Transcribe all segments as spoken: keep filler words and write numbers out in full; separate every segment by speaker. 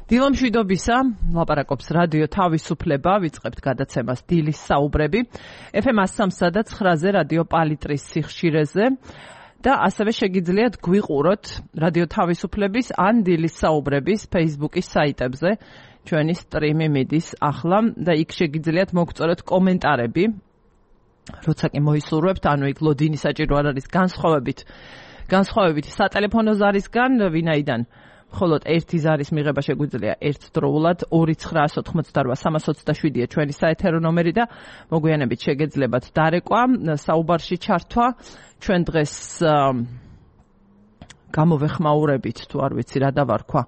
Speaker 1: დილომშვიდობისა, ლაპარაკობს რადიო თავისუფლება, ვიწყებთ გადაცემას დილის საუბრები. ეფ ემ one oh three და nine-ზე რადიო პალიტრის სიხშირეზე და ასევე შეგიძლიათ გვიყუროთ რადიო თავისუფლების ან დილის საუბრების Facebook-ის საიტებზე. ჩვენი სტრიმი მიდის ახლა და იქ შეგიძლიათ მოგწოროთ კომენტარები. როცა კი მოისურვებთ, ანუ იქ ლოდინი საჭირო არ არის განსხვავებით. განსხვავებით სატელეფონო ზარისგან, ვინაიდან მხოლოდ ერთი ზარის მიღება შეგვიძლია ერთდროულად two nine eight eight eight three two seven ჩვენი საეთერო ნომერი და მოგვიანებით შეგეძლებათ დარეკვა, საუბარში ჩართვა. ჩვენ დღეს გამოვეხმაურებით, თუ არ ვიცი რა დავარქვა.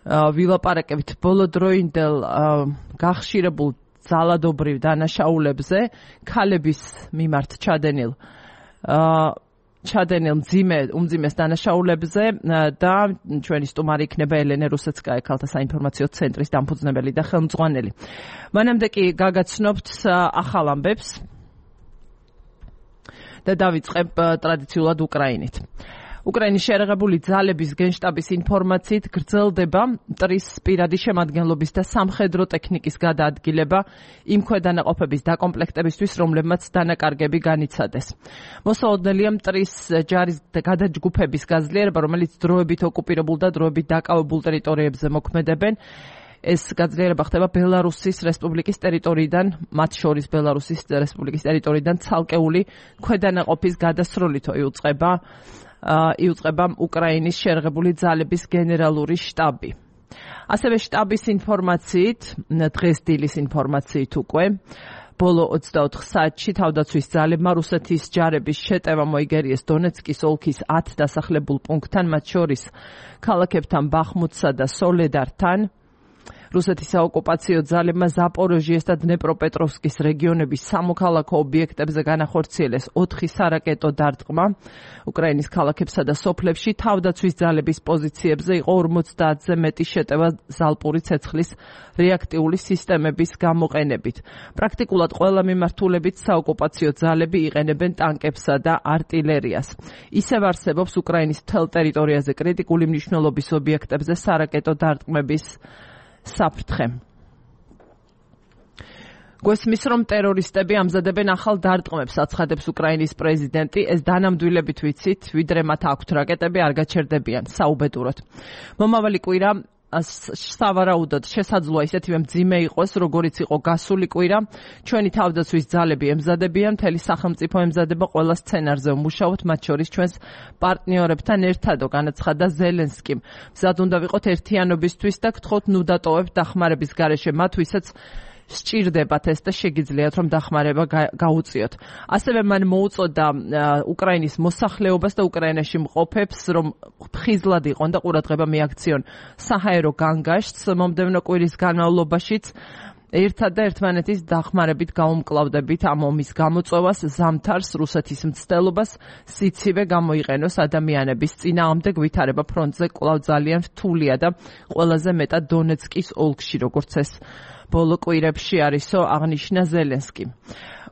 Speaker 1: ვილაპარაკებით ბოლოდროინდელ გახშირებულ ძალადობრივ დანაშაულებზე, ქალების მიმართ ჩადენილ ჩადენილ მძიმე უმძიმეს დანაშაულებზე და ჩვენი სტუმარი იქნება ელენე რუსეცკაია, ქალთა საინფორმაციო ცენტრის დამფუძნებელი და ხელმძღვანელი. მანამდე კი გაგაცნობთ ახალ ამბებს და დავიწყებ ტრადიციულად უკრაინით. უკრაინის შეერაღებული ძალების გენშტაბის ინფორმაციით გრძელდება მტრის პირადი შემადგენლობის და სამხედრო ტექნიკის გადაადგილება იმ ქვედანაყოფების დაკომპლექტებისთვის, რომლებმაც დანაკარგები განიცადეს. მოსაოდნელია მტრის ჯარის გადაჯგუფების გაზრდილება, რომელიც დროებით ოკუპირებულ და დროებით დაკავებულ ტერიტორიებზე მოქმედებენ. ეს გაძლიერება ხდება ბელარუსის რესპუბლიკის ტერიტორიიდან, მათ შორის ბელარუსის რესპუბლიკის ტერიტორიიდან ცალკეული ქვედანაყოფის გადასროლითო იუწყება იუწყება უკრაინის შეერაღებული ძალების გენერალური შტაბი. ასევე შტაბის ინფორმაციით, დღეს დილის ინფორმაციით უკვე, ბოლო ოცდაოთხ საათში თავდაცვის ძალებმა რუსეთის ჯარების შეტევა მოიგერიეს დონეცკის ოლქის ათ დასახლებულ პუნქტთან, მათ შორის ქალაქებთან ბახმუტსა და სოლედართან. რუსეთის საოკუპაციო ძალებმა ზაპოროჟიეს და დნეპროპეტროვსკის რეგიონების სამოქალაქო ობიექტებზე განახორციელეს ოთხი სარაკეტო დარტყმა. უკრაინის ქალაქებსა და სოფლებში თავდაცვის ძალების პოზიციებზე იყო ორმოცდაათზე მეტი შეტევა ზალპური ცეცხლის რეაქტიული სისტემების გამოყენებით. პრაქტიკულად ყველა მიმართულებით საოკუპაციო ძალები იყენებენ ტანკებსა და არტილერიას. ისევ არსებობს უკრაინის მთელ ტერიტორიაზე კრიტიკული მნიშვნელობის ობიექტებზე სარაკეტო დარტყმების საფრთხე. გვესმის, რომ ტერორისტები ამზადებენ ახალ დარტყმებს, აცხადებს უკრაინის პრეზიდენტი. ეს დანამდვილებით ვიცით, ვიდრე მათ აქვთ რაკეტები, არ გაჩერდებიან საუბედუროდ. მომავალი კვირა სავარაუდოდ შესაძლოა ისეთივე მძიმე იყოს, როგორიც იყო გასული კვირა. ჩვენი თავდაცვის ძალები ემზადებიან, მთელი სახელმწიფო ემზადება ყველა სცენარზე ვმუშაობთ, მათ შორის ჩვენს პარტნიორებთან ერთადო, განაცხადა ზელენსკიმ. მზად უნდა ვიყოთ ერთიანობისთვის და გთხოვთ ნუ დატოვებთ დახმარების გარეშე მათ, ვისაც სჭირდებათ ეს და შეგიძლიათ რომ დახმარება გაუწიოთ. ასევე მან მოუწოდა უკრაინის მოსახლეობას და უკრაინაში მყოფებს, რომ ხიზლად იყვონ და ყურადღება მიაქციონ საჰაერო განგაშტს მომდევნო კვირის განმავლობაშიც. ერთად და ერთმანეთის დახმარებით გაუმკლავდებით ამ ომის გამოწვევას, ზამთარს რუსეთის მცდელობას სიცივე გამოიყენოს ადამიანების წინააღმდეგ. ვითარება ფრონტზე კვლავ ძალიან რთულია და ყველაზე მეტად დონეცკის ოლქში, როგორც ეს ბოლო კვირებში არისო, აღნიშნა ზელენსკი.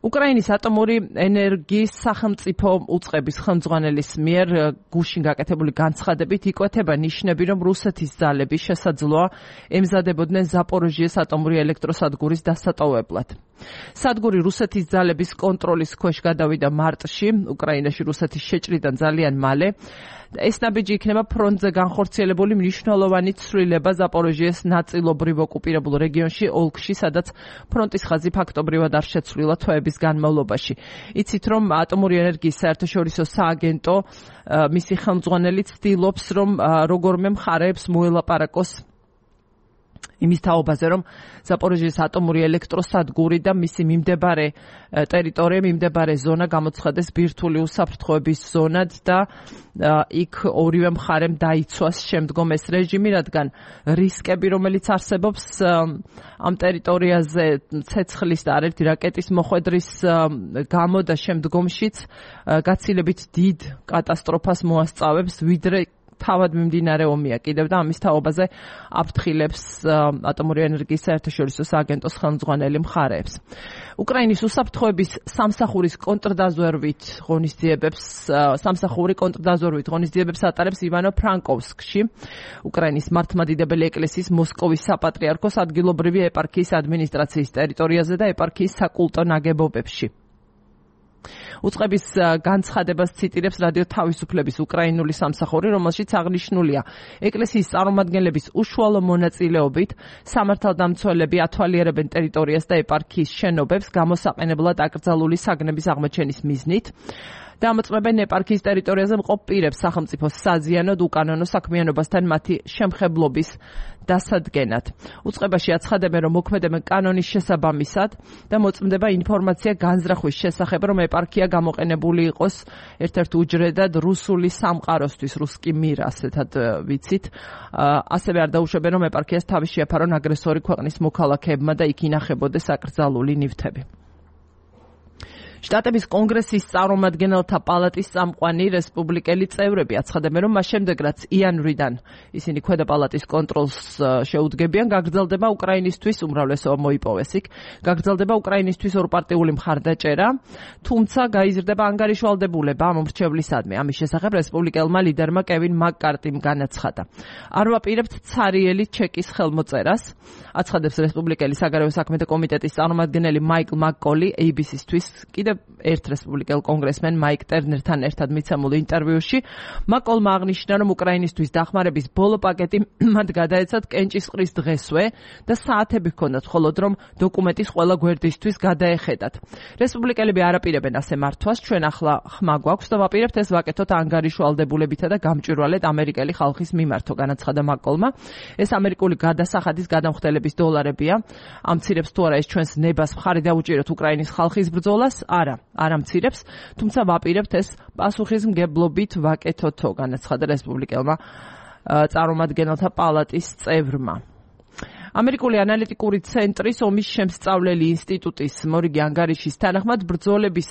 Speaker 1: უკრაინის ატომური ენერგიის სახელმწიფო უწყების ხელმძღვანელის მიერ გუშინ გაკეთებული განცხადებით იკვეთება ნიშნები, რომ რუსეთის ძალები შესაძლოა ემზადებოდნენ ზაპოროჟიეს ატომური ელექტროსადგურის დასატოვებლად. სადგური რუსეთის ძალების კონტროლის ქვეშ გადავიდა მარტში, უკრაინაში რუსეთის შეჭრიდან ძალიან მალე. ეს ნაბიჯი იქნება ფრონტზე განხორციელებული მნიშვნელოვანი ცვლილება ზაპოროჟიეს ნაწილობრივ ოკუპირებულ რეგიონში, ოლქში, სადაც ფრონტის ხაზი ფაქტობრივად არ შეცვლილა თვეების განმავლობაში. იცით, რომ ატომური ენერგიის საერთაშორისო სააგენტო, მისი ხელმძღვანელი ცდილობს, რომ როგორმე მხარეებს მოელაპარაკოს იმის თაობაზე, რომ ზაპოროჟიეს ატომური ელექტროსადგური და მისი მიმდებარე ტერიტორია, მიმდებარე ზონა გამოცხადეს ბირთვული უსაფრთხოების ზონად და იქ ორივე მხარემ დაიცვას შემდგომ ეს რეჟიმი, რადგან რისკები, რომელიც არსებობს ამ ტერიტორიაზე ცეცხლის და არაერთი რაკეტის მოხვედრის გამო და შემდგომშიც გაცილებით დიდ კატასტროფას მოასწავებს, ვიდრე თავად მიმდინარე ომია კიდევ და ამის თაობაზე აფრთხილებს ატომური ენერგიის საერთაშორისო სააგენტოს ხელმძღვანელი მხარეებს. უკრაინის უსაფრთხოების სამსახურის კონტრდაზვერვით ღონისძიებებს სამსახური კონტრდაზვერვით ღონისძიებებს ატარებს ივანო ფრანკოვსკში, უკრაინის მართლმადიდებელი ეკლესიის მოსკოვის საპატრიარქოს ადგილობრივი ეპარქიის ადმინისტრაციის ტერიტორიაზე და ეპარქიის საკულტო ნაგებობებში. უწყების განცხადებას ციტირებს რადიო თავისუფლების უკრაინული სამსახური, რომელშიც აღნიშნულია ეკლესიის წარმომადგენლების უშუალო მონაწილეობით სამართალდამცველები ათვალიერებენ ტერიტორიას და ეპარქიის შენობებს გამოსაყენებლად აკრძალული საგნების აღმოჩენის მიზნით. დამოწმებენ ეპარქიის ტერიტორიაზე მყოფ პირებს სახელმწიფოს საზიანოდ უკანონო საქმიანობასთან მათი შემხებლობის დასადგენად. უწყებაში აცხადებენ, რომ მოქმედებენ კანონის შესაბამისად და მოწმდება ინფორმაცია განზრახვის შესახებ, რომ ეპარქია გამოყენებული იყოს ერთ-ერთ უჯრედად რუსული სამყაროსთვის, რუსკი მირ, ასეთად ვიცით. ასევე არ დაუშვებენ, რომ ეპარქიას თავი შეაფარონ აგრესორი ქვეყნის მოქალაქეებმა და იქ ინახებოდეს აკრძალული ნივთები. შტატების კონგრესის წარმომადგენელთა პალატის წამყვანი რესპუბლიკელი წევრები აცხადებენ, რომ მას შემდეგ, რაც იანვრიდან ისინი ქვედა პალატის კონტროლს შეუდგებიან, გაგრძელდება უკრაინისთვის უმრავლესობა მოიპოვეს იქ, გაგრძელდება უკრაინისთვის ორპარტიული მხარდაჭერა, თუმცა გაიზრდება ანგარიშვალდებულება ამ მრჩევლისადმი. ამის შესახებ რესპუბლიკელმა ლიდერმა კევინ მაკ-კარტიმ განაცხადა. არ ვაპირებთ ცარიელი ჩეკის ხელმოწერას, აცხადებს რესპუბლიკელი საგარეო საქმეთა კომიტეტის წარმომადგენელი მაიკლ მაკ-კოლი ეი ბი სი-თვის კიდევ ერთ რესპუბლიკელ კონგრესმენ მაიკ ტერნერთან ერთად მიცემულ ინტერვიუში. მაკ-კოლმა აღნიშნა, რომ უკრაინისთვის დახმარების ბოლო პაკეტი მათ გადაეცათ კენჭისყრის დღესვე და საათები ჰქონდათ, მხოლოდ რომ დოკუმენტის ყველა გვერდისთვის გადაეხედათ. რესპუბლიკელები არ აპირებენ ასე მართვას, ჩვენ ახლა ხმა გვაქვს და ვაპირებთ ეს ვაკეთოთ ანგარიშვალდებულებითა და გამჭვირვალედ ამერიკელი ხალხის მიმართო, განაცხადა მაკ-კოლმა. ეს ამერიკული გადასახადის გადამხდელების დოლარებია. ამცირებს თუ არა ეს ჩვენს ნებას მხარი დაუჭიროთ უკრაინის ხალხის ბრძოლას? არა, არ ამცირებს, თუმცა ვაპირებთ ეს პასუხისმგებლობით ვაკეთოთო, განაცხადა რესპუბლიკელმა წარმომადგენელთა პალატის წევრმა. ამერიკული ანალიტიკური ცენტრის ომის შემსწავლელი ინსტიტუტის მორიგი ანგარიშის თანახმად ბრძოლების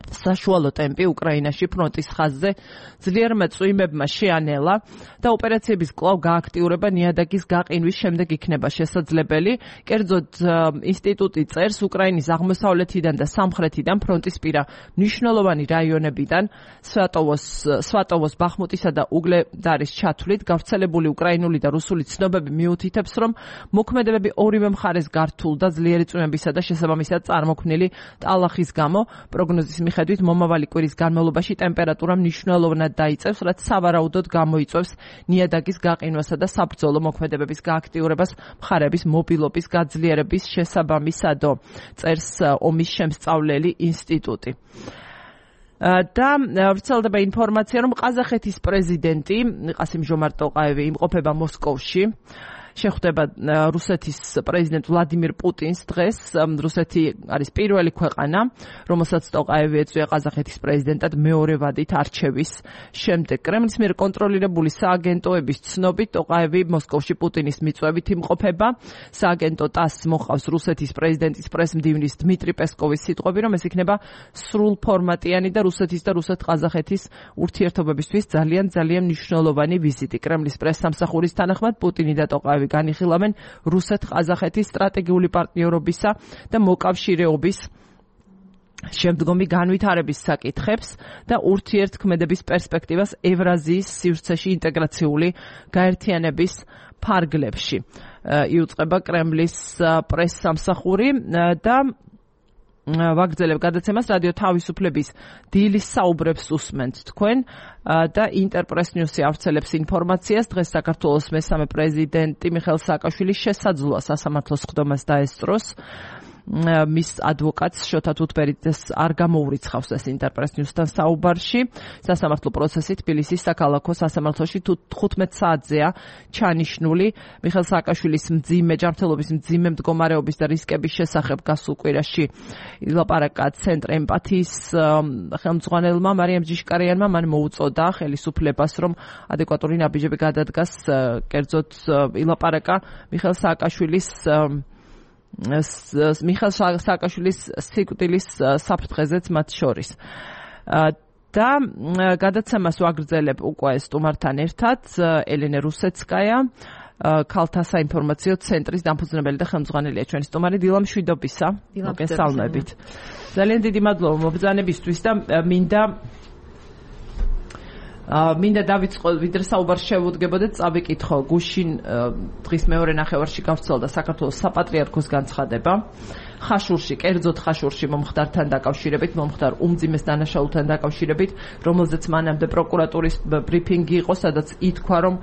Speaker 1: საშუალო ტემპი უკრაინაში ფრონტის ხაზზე ძლიერმა წვიმებმა შეანელა და ოპერაციების კვლავ გააქტიურება ნიადაგის გაყინვის შემდეგ იქნება შესაძლებელი. კერძოდ ინსტიტუტი წერს, უკრაინის აღმოსავლეთიდან და სამხრეთიდან ფრონტისპირა მნიშვნელოვანი რაიონებიდან სვატოვოს, სვატოვოს, ბახმუტისა და უგლედარის ჩათვლით გავრცელებული უკრაინული და რუსული ცნობები მიუთითებს, რომ მოქმედებები ორივე მხარეს გართულ და ძლიერი წვიმებისა და შესაბამისად წარმოქმნილი ტალახის გამო პროგნოზის მიხედვით მომავალი კვირის განმავლობაში ტემპერატურა მნიშვნელოვნად დაიწევს, რაც სავარაუდოდ გამოიწვევს ნიადაგის გაყინვასა და საბრძოლო მოქმედებების გააქტიურებას მხარეების მობილობის გაძლიერების შესაბამისადო, წერს ომის შემსწავლელი ინსტიტუტი. და ვრცელდება ინფორმაცია, რომ ყაზახეთის პრეზიდენტი ყასიმ-ჟომართ ტოყაევი იმყოფება მოსკოვში. შეხვდება რუსეთის პრეზიდენტ ვლადიმირ პუტინს დღეს. რუსეთი არის პირველი ქვეყანა, რომელსაც ტოყაევი ეწვია ყაზახეთის პრეზიდენტად მეორე ვადით არჩევის შემდეგ. კრემლის მიერ კონტროლირებული სააგენტოების ცნობით ტოყაევი მოსკოვში პუტინის მიწვევით იმყოფება. სააგენტო ტასს მოყავს რუსეთის პრეზიდენტის პრესმდივნის დმიტრი პესკოვის სიტყვები, რომ ეს იქნება სრულფორმატიანი და რუსეთის და რუსეთ-ყაზახეთის ურთიერთობებისთვის ძალიან ძალიან მნიშვნელოვანი ვიზიტი. კრემლის პრესსამსახურის თანახმად პუტინი და ტოყაევი განიხილავენ რუსეთ-ყაზახეთის სტრატეგიული პარტნიორობისა და მოკავშირეობის შემდგომი განვითარების საკითხებს და ურთიერთქმედების პერსპექტივას ევრაზიის სივრცეში ინტეგრაციული გაერთიანების ფარგლებში. იუწყება კრემლის პრესსამსახური და ვაგრძელებ გადაცემას რადიო თავისუფლების დილის საუბრებს უსმენთ თქვენ და ინტერპრეს ნიუსი ავრცელებს ინფორმაციას. დღეს საქართველოს მესამე პრეზიდენტი მიხეილ სააკაშვილის შესაძლოა სასამართლოს სხდომას დაესწროს. მის ადვოკატს შოთა თუთბერიძეს არ გამოურიცხავს ეს ინტერპრეს ნიუსთან საუბარში. სასამართლო პროცესი თბილისის საქალაქო სასამართლოში თხუთმეტ საათზეა ჩანიშნული. მიხეილ სააკაშვილის მძიმე ჯანმრთელობის მძიმე მდგომარეობის და რისკების შესახებ გასულ კვირაში ილაპარაკა ცენტრ ემპათიის ხელმძღვანელმა მარიამ ჯიშკარიანმა. მან მოუწოდა ხელისუფლებას, რომ ადეკვატური ნაბიჯები გადადგას. კერძოდ ილაპარაკა მიხეილ სააკაშვილის მიხეილ სააკაშვილის სიკვდილის საფრთხეზეც მათ შორის. და გადაცემას ვაგრძელებ უკვე სტუმართან ერთად ელენე რუსეცკაია ქალთა საინფორმაციო ცენტრის დამფუძნებელი და ხელმძღვანელია ჩვენი სტუმარი. დილა მშვიდობისა. მოგესალმებით. ძალიან დიდი მადლობა მობრძანებისთვის და მინდა მინდა დავიწყო ვიდრე საუბარ შევუდგებოდეთ წავიკითხო გუშინ დღის მეორე ნახევარში გავრცელდა საქართველოს საპატრიარქოს განცხადება ხაშურში, კერძოდ ხაშურში მომხდართან დაკავშირებით, მომხდარ უმძიმეს დანაშაულთან დაკავშირებით, რომელზეც მანამდე პროკურატურის ბრიფინგი იყო, სადაც ითქვა, რომ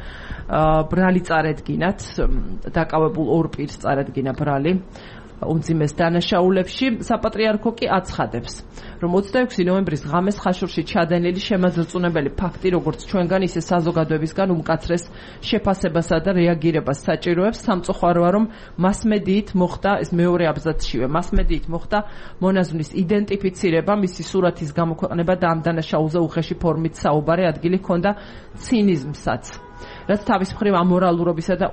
Speaker 1: ბრალი წარედგინათ, დაკავებულ ორ პირს წარედგინა ბრალი უმძიმეს დანაშაულებში. საპატრიარქო კი აცხადებს, რომ ოცდაექვსი ნოემბრის ღამეს ხაშურში ჩადენილი შემაძრწუნებელი ფაქტი, როგორც ჩვენგან, ისე საზოგადოებისგან უმკაცრეს შეფასებასა და რეაგირებას საჭიროებს. სამწუხაროა, რომ მასმედიით მოხდა, ეს მეორე აბზაცშივე, მასმედიით მოხდა მონაზვნის იდენტიფიცირება, მისი სურათის გამოქვეყნება და ამ დანაშაულზე უხეში ფორმით საუბარი ადგილი ჰქონდა ცინიზმსაც, რაც თავის მხრივ ამორალურობისა და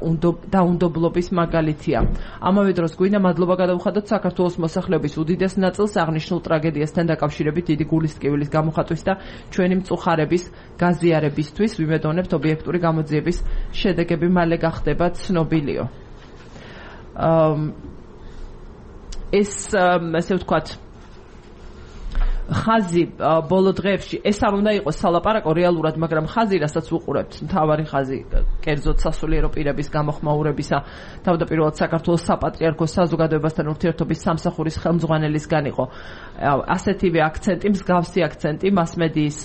Speaker 1: დაუნდობლობის მაგალითია. ამავე დროს გვინდა მადლობა გადავუხადოთ საქართველოს მოსახლეობის უდიდეს ნაწილს აღნიშნულ ტრაგედიასთან დაკავშირებით დიდი გულისტკივილის გამოხატვის და ჩვენი მწუხარების გაზიარებისთვის. ვიმედოვნებთ ობიექტური გამოძიების შედეგები მალე გახდება ცნობილიო. ეს ასე ვთქვათ ხაზი ბოლო დღეებში ეს არ უნდა იყოს სალაპარაკო რეალურად, მაგრამ ხაზი, რასაც ვუყურებთ, მთავარი ხაზი კერძოდ სასულიერო პირების გამოხმაურებისა, თავდაპირველად საქართველოს საპატრიარქოს საზოგადოებასთან ურთიერთობის სამსახურის ხელმძღვანელისგან იყო ასეთივე აქცენტი, მსგავსი აქცენტი მასმედიის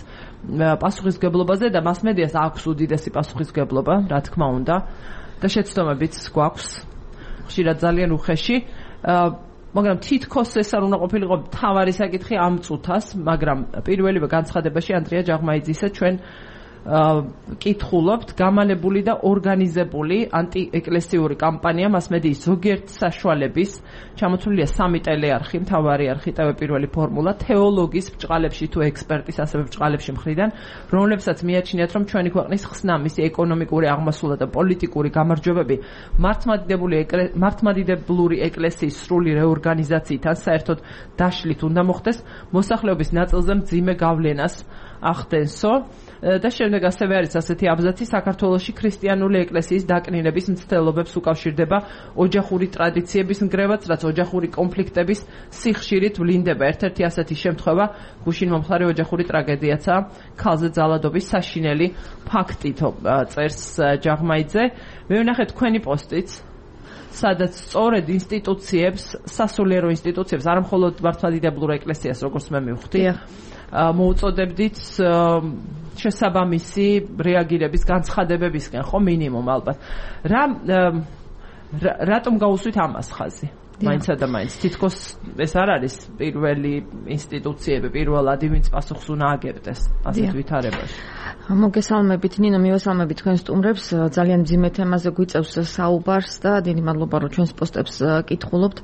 Speaker 1: პასუხისმგებლობაზე და მასმედიას აქვს უდიდესი პასუხისმგებლობა, რა თქმა უნდა, და შეცდომებიც გვაქვს ხშირად ძალიან უხეში. მაგრამ თითქოს ეს არ უნდა ყოფილიყო მთავარი საკითხი ამ წუთას, მაგრამ პირველივე განცხადებაში ანდრია ჯაღმაიძისა ჩვენ კითხულობთ გამალებული და ორგანიზებული ანტიეკლესიური კამპანია მასმედიის ზოგიერთ საშუალების, ჩამოთვლილია სამი ტელეარხი, მთავარი არხი, ტევ პირველი ფორმულა, თეოლოგის ბჭყალებში თუ ექსპერტის ასევე ბჭყალებში მხრიდან, რომლებსაც მიაჩნიათ, რომ ჩვენი ქვეყნის ხსნა, მისი ეკონომიკური აღმასვლა და პოლიტიკური გამარჯვებები მართლმადიდებლური ეკლესიის სრული რეორგანიზაციიდან საერთოდ დაშლით უნდა მოხდეს, მოსახლეობის ნაწილზე მძიმე გავლენას ახდენსო. და შემდეგ ასევე არის ასეთი აბზაცი, საქართველოში ქრისტიანული ეკლესიის დაკნინების მცდელობებს უკავშირდება ოჯახური ტრადიციების ნგრევაც, რაც ოჯახური კონფლიქტების სიხშირით ვლინდება. ერთ-ერთი ასეთი შემთხვევა გუშინ მომხდარი ოჯახური ტრაგედიაცაა, ქალზე ძალადობის საშინელი ფაქტით, წერს ჯაღმაიძე. მე ვნახე თქვენი პოსტიც, სადაც სწორედ ინსტიტუციებს, სასულიერო ინსტიტუციებს, არა მხოლოდ მართლმადიდებლურ ეკლესიას, როგორც მე მივხვდი, მოუწოდებდით შესაბამისი რეაგირების განცხადებებისკენ, ხო, მინიმუმ ალბათ. რა რატომ გაუსვით ამას ხაზი? მაინცა და მაინც თითქოს ეს არ არის პირველი ინსტიტუციები, პირველადი, ვინც პასუხს უნდა აგებდეს ასეთ ვითარებაში.
Speaker 2: მოგესალმებით ნინო, მივესალმებით თქვენ სტუმრებს, ძალიან მძიმე თემაზე გვიწევს საუბარს და დიდი მადლობა რომ ჩვენს პოსტებს კითხულობთ.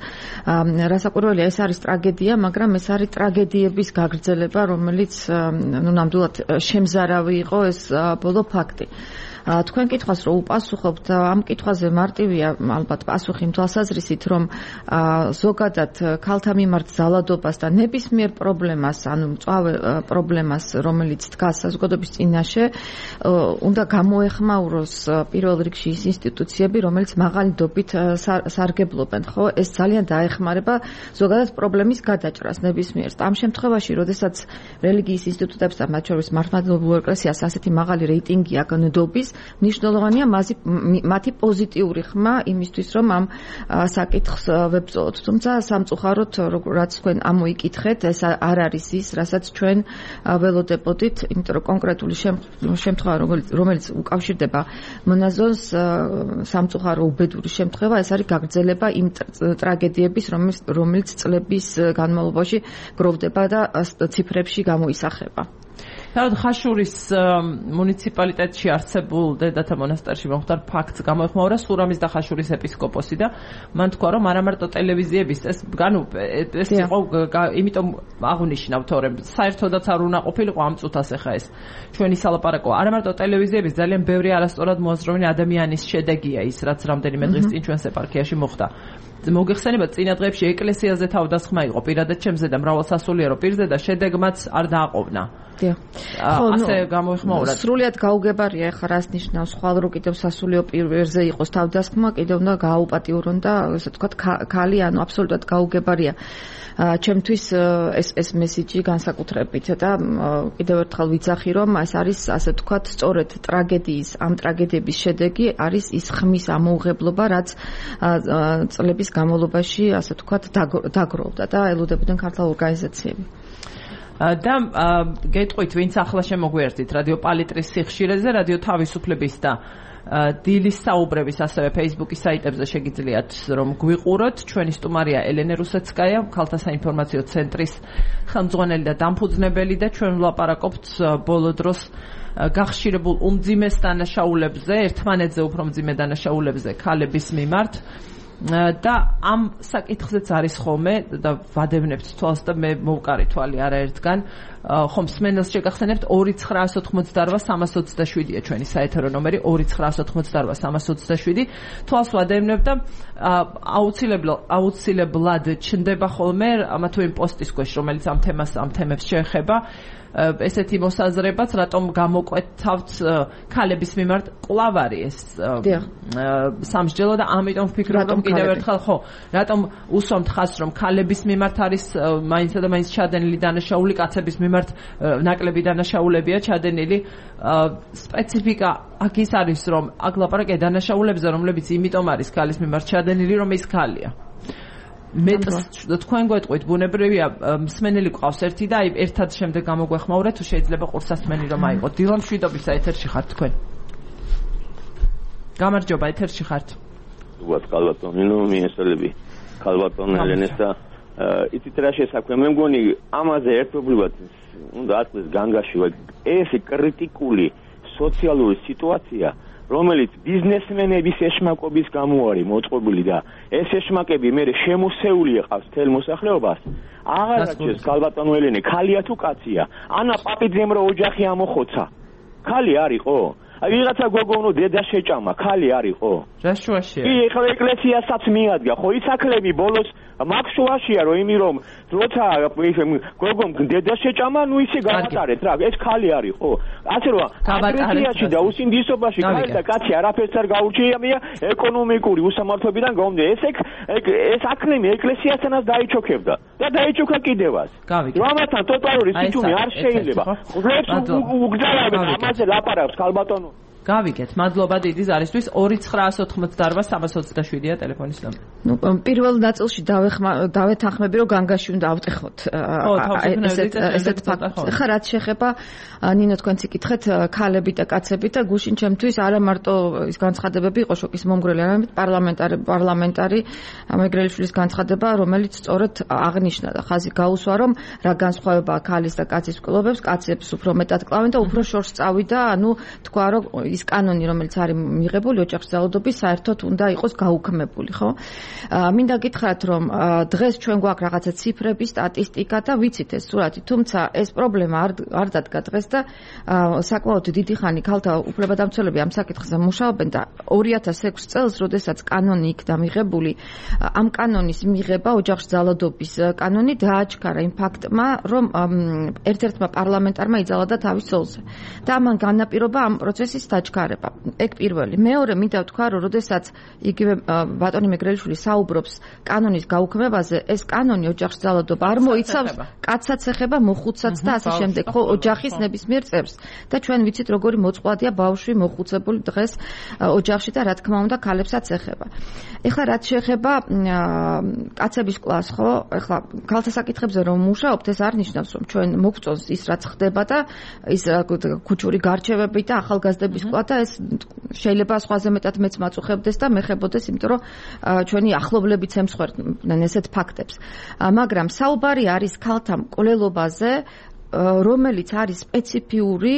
Speaker 2: რასაკვირველია, ეს არის ტრაგედია, მაგრამ ეს არის ტრაგედიების გაგრძელება, რომელიც ნუ ნამდვილად შემზარავი იყო ეს ბოლო ფაქტი. თქვენ კითხვას რომ უპასუხობთ, ამ კითხვაზე მარტივია ალბათ პასუხი იმ თვალსაზრისით, რომ ზოგადად ქალთა მიმართ ძალადობას და ნებისმიერ პრობლემას, ანუ მწვავე პრობლემას, რომელიც დგას საზოგადოების წინაშე, უნდა გამოეხმაუროს პირველ რიგში ის ინსტიტუციები, რომელიც მაღალი დობით სარგებლობენ, ხო? ეს ძალიან დაეხმარება ზოგადად პრობლემის გადაჭრას ნებისმიერს. ამ შემთხვევაში, როდესაც რელიგიის ინსტიტუტებს და მათ შორის მართლმადიდებლურ ეკლესიას ასეთი მაღალი რეიტინგი აქვს ნდობის, მნიშვნელოვანია მათი პოზიტიური ხმა იმისთვის, რომ ამ საკითხს ვებწოლოთ. თუმცა სამწუხაროდ, რაც თქვენ ამოიკითხეთ, ეს არ არის ის, რასაც ჩვენ ველოდებოდით, იმიტომ რომ კონკრეტული შემთხვევა, რომელიც უკავშირდება მონაზონს, სამწუხარო უბედური შემთხვევა, ეს არის გაგრძელება იმ ტრაგედიების, რომელიც წლების განმავლობაში გროვდება და ციფრებში გამოისახება.
Speaker 1: თავად ხაშურის მუნიციპალიტეტში არსებულ დედათა მონასტერში მომხდარ ფაქტს გამოეხმაურა სურამის და ხაშურის ეპისკოპოსი და მან თქვა, რომ არა მარტო ტელევიზიების ეს განუ ეს იყო, იმიტომ აღნიშნავ თორემ საერთოდაც არ უნდა ყოფილიყო ამ წუთას ახლა ეს ჩვენი სალაპარაკო. არა მარტო ტელევიზიების, ძალიან ბევრი არასწორად მოაზროვნე ადამიანის შედეგია ის, რაც რამდენიმე დღის წინ ჩვენს ეპარქიაში მოხდა. მოგეხსენება წინა დღეებში ეკლესიაზე თავდასხმა იყო პირადად ჩემზე და მრავალსასულიერო პირზე და შედეგმაც არ დააყოვნა.
Speaker 2: დიახ.
Speaker 1: ასე გამოიხმაურა.
Speaker 2: სრულიად გაუგებარია ახლა რას ნიშნავს ხვალ რო კიდევ სასულიერო პირზე იყოს თავდასხმა, კიდევ უნდა გააუპატიურონ და ესე ვთქვათ ქალი, ანუ აბსოლუტურად გაუგებარია. ჩემთვის ეს ეს მესიჯი განსაკუთრებით და კიდევ ერთხელ ვიცახი რომ ეს არის ასე ვთქვათ სწორედ ტრაგედიის ამ ტრაგედიების შედეგი არის ის ხმის ამოუღებლობა რაც წლების განმავლობაში ასე ვთქვათ დაგროვდა და ელოდებოდნენ ქართულ ორგანიზაციები.
Speaker 1: და გეტყვით ვინც ახლა შემოგვიერთით რადიო პალიტრის სიხშირეზე რადიო თავისუფლების და დილის საუბრების ასევე Facebook-ის საიტებზე შეგიძლიათ რომ გვიყუროთ. ჩვენი სტუმარია ელენე რუსეცკაია, ქალთა საინფორმაციო ცენტრის ხელმძღვანელი და დამფუძნებელი და ჩვენ ვლაპარაკობთ ბოლო დროს გახშირებულ უმძიმეს დანაშაულებზე, ერთმანეთზე უფრო მძიმე დანაშაულებზე ქალების მიმართ. და ამ საკითხზეც არის ხოლმე და ვადევნებთ თვალს და მე მოვკარი თვალი არაერთგან ხომ მსმენელს შეგახსენებთ ორი ცხრაასი ოცდაოთხი სამას ოცდაშვიდია ჩვენი საეთერო ნომერი ორი ცხრაასი ოცდაოთხი სამას ოცდაშვიდი თვალს ვადევნებთ და აუცილებლად აუცილებლად ჩნდება ხოლმე ამა თუ იმ პოსტის ქვეშ რომელიც ამ თემას ამ თემებს შეეხება ესეთი მოსაზრებაც რატომ გამოკვეთავთ ქალების მიმართ კვლავ არის ეს სამსჯელო და ამიტომ ვფიქრობ რომ კიდევ ერთხელ ხო რატომ უსვამთ ხაზს რომ ქალების მიმართ არის მაინც და მაინც ჩადენილი დანაშაული კაცების მიმართ ნაკლები დანაშაულებია ჩადენილი სპეციფიკა აქ ის არის რომ აქ ლაპარაკია დანაშაულებზე რომლებიც იმიტომ არის ქალის მიმართ ჩადენილი რომ ის ქალია მე თქვენ გვეტყვით ბუნებრივია მსმენელი ყავს ერთი და აი ერთად შემდეგ გამოგვეხმაურეთ თუ შეიძლება ყურსასმენი რომ აიღოთ დილა მშვიდობის ეთერში ხართ თქვენ გამარჯობა ეთერში ხართ
Speaker 3: უბრალოდ კალბატონინო მიესალები კალბატონ ელენეს და იცით რა შესაქმე მე მგონი ამაზე ერთობლივად უნდა ატყდეს განგაში ეს კრიტიკული სოციალური სიტუაცია რომელიც ბიზნესმენების ეშმაკობის გამო არის მოწყობილი და ეს ეშმაკები მე შემოსეული ეყავს თელ მოსახლეობას აღარაჩეს კალბატონო ელენე ქალია თუ კაცია ანა პაპიძემ რო ოჯახი ამოხოცა ქალი არისო აი ვიღაცა გოგონო დედა შეჭამა ქალი არისო
Speaker 1: რა შუაშია
Speaker 3: კი ეხლა ეკლესიასაც მიადგა ხო იცაკლები ბოლოს მაგ შუაშია რომ იმი რომ როცა გოგომ დედა შეჭამა ნუ ისე გავატარეთ რა ეს ქალი არისო ასე რომ აგრესიაში და უსინდისობაში ქალი და კაცი არაფერს არ გაურჩეამია ეკონომიკური უსამართლობიდან გამომდინარე ეს ეს აქნემი ეკლესიასთანაც დაიჩოქებდა და დაიჩოქა კიდევაც რომელთან ტოტალური სიჩუმე არ შეიძლება ღლებს უგზავნებენ ამაზე ლაპარაკს კალბატონო
Speaker 1: გავიგეთ მადლობა დიდი ზარისთვის ორი ცხრაასი ოცდაოთხი სამას ოცდაშვიდია ტელეფონის ნომერი.
Speaker 2: ნუ პირველ ნაწილში დავეთანხმები რომ განგაში უნდა ავტეხოთ ესეთ ესეთ ფაქტს. ხა რაც შეეხება ნინო თქვენც იკითხეთ ქალები და კაცები და გუშინ ჩემთვის არა მარტო ის განცხადებები იყო შოკის მომგვრელი, არამედ პარლამენტარი პარლამენტარი მეგრელიშვილის განცხადება, რომელიც სწორედ აღნიშნა და ხაზი გაუსვა რომ რა განსხვავებაა ქალის და კაცის მკვლობებს, კაცებს უფრო მეტად კლავენ და უფრო შორს წავიდა, ანუ თქვა რომ ის კანონი რომელიც არის მიღებული ოჯახის ძალადობის საერთოდ უნდა იყოს გაუქმებული, ხო? მინდა გითხრათ რომ დღეს ჩვენ გვაქვს რაღაცა ციფრები, სტატისტიკა და ვიცით ეს სურათი, თუმცა ეს პრობლემა არ არ დადგა დღეს და საკმაოდ დიდი ხანი ქალთა უფლებადამცველები ამ საკითხზე მუშაობენ და ორი ათას ექვსი წელს, როდესაც კანონი იქნა მიღებული, ამ კანონის მიღება ოჯახის ძალადობის კანონი დააჩქარა იმ ფაქტმა, რომ ერთ-ერთმა პარლამენტარმა იძალა თავის ცოლზე და ამან განაპირობა ამ პროცესის დაჩქარება. ეგ პირველი. მეორე მინდა ვთქვა, რომ როდესაც იგივე ბატონი მეგრელიშვილი საუბრობს კანონის გაუქმებაზე, ეს კანონი ოჯახის ძალადობა არ მოიცავს კაცსაც ეხება, მოხუცსაც და ასე შემდეგ, ხო, ოჯახის ნებისმიერ წევრს. და ჩვენ ვიცით, როგორი მოწყვლადია ბავშვი მოხუცებული დღეს ოჯახში და რა თქმა უნდა, ქალებსაც ეხება. ეხლა რაც შეეხება კაცების კლასს, ხო, ეხლა ქალთა საკითხებზე რომ მუშაობთ, ეს არ ნიშნავს, რომ ჩვენ მოგწონს ის რაც ხდება და ის ქუჩური გარჩევები და ახალგაზრდების ყვა და ეს შეიძლება სხვაზე მეტად მეც მაწუხებდეს და მეხებოდეს, იმიტომ რომ ჩვენი ახლობლებიც ემსხვერპლენ ესეთ ფაქტებს. მაგრამ საუბარი არის ქალთა მკვლელობაზე, რომელიც არის სპეციფიური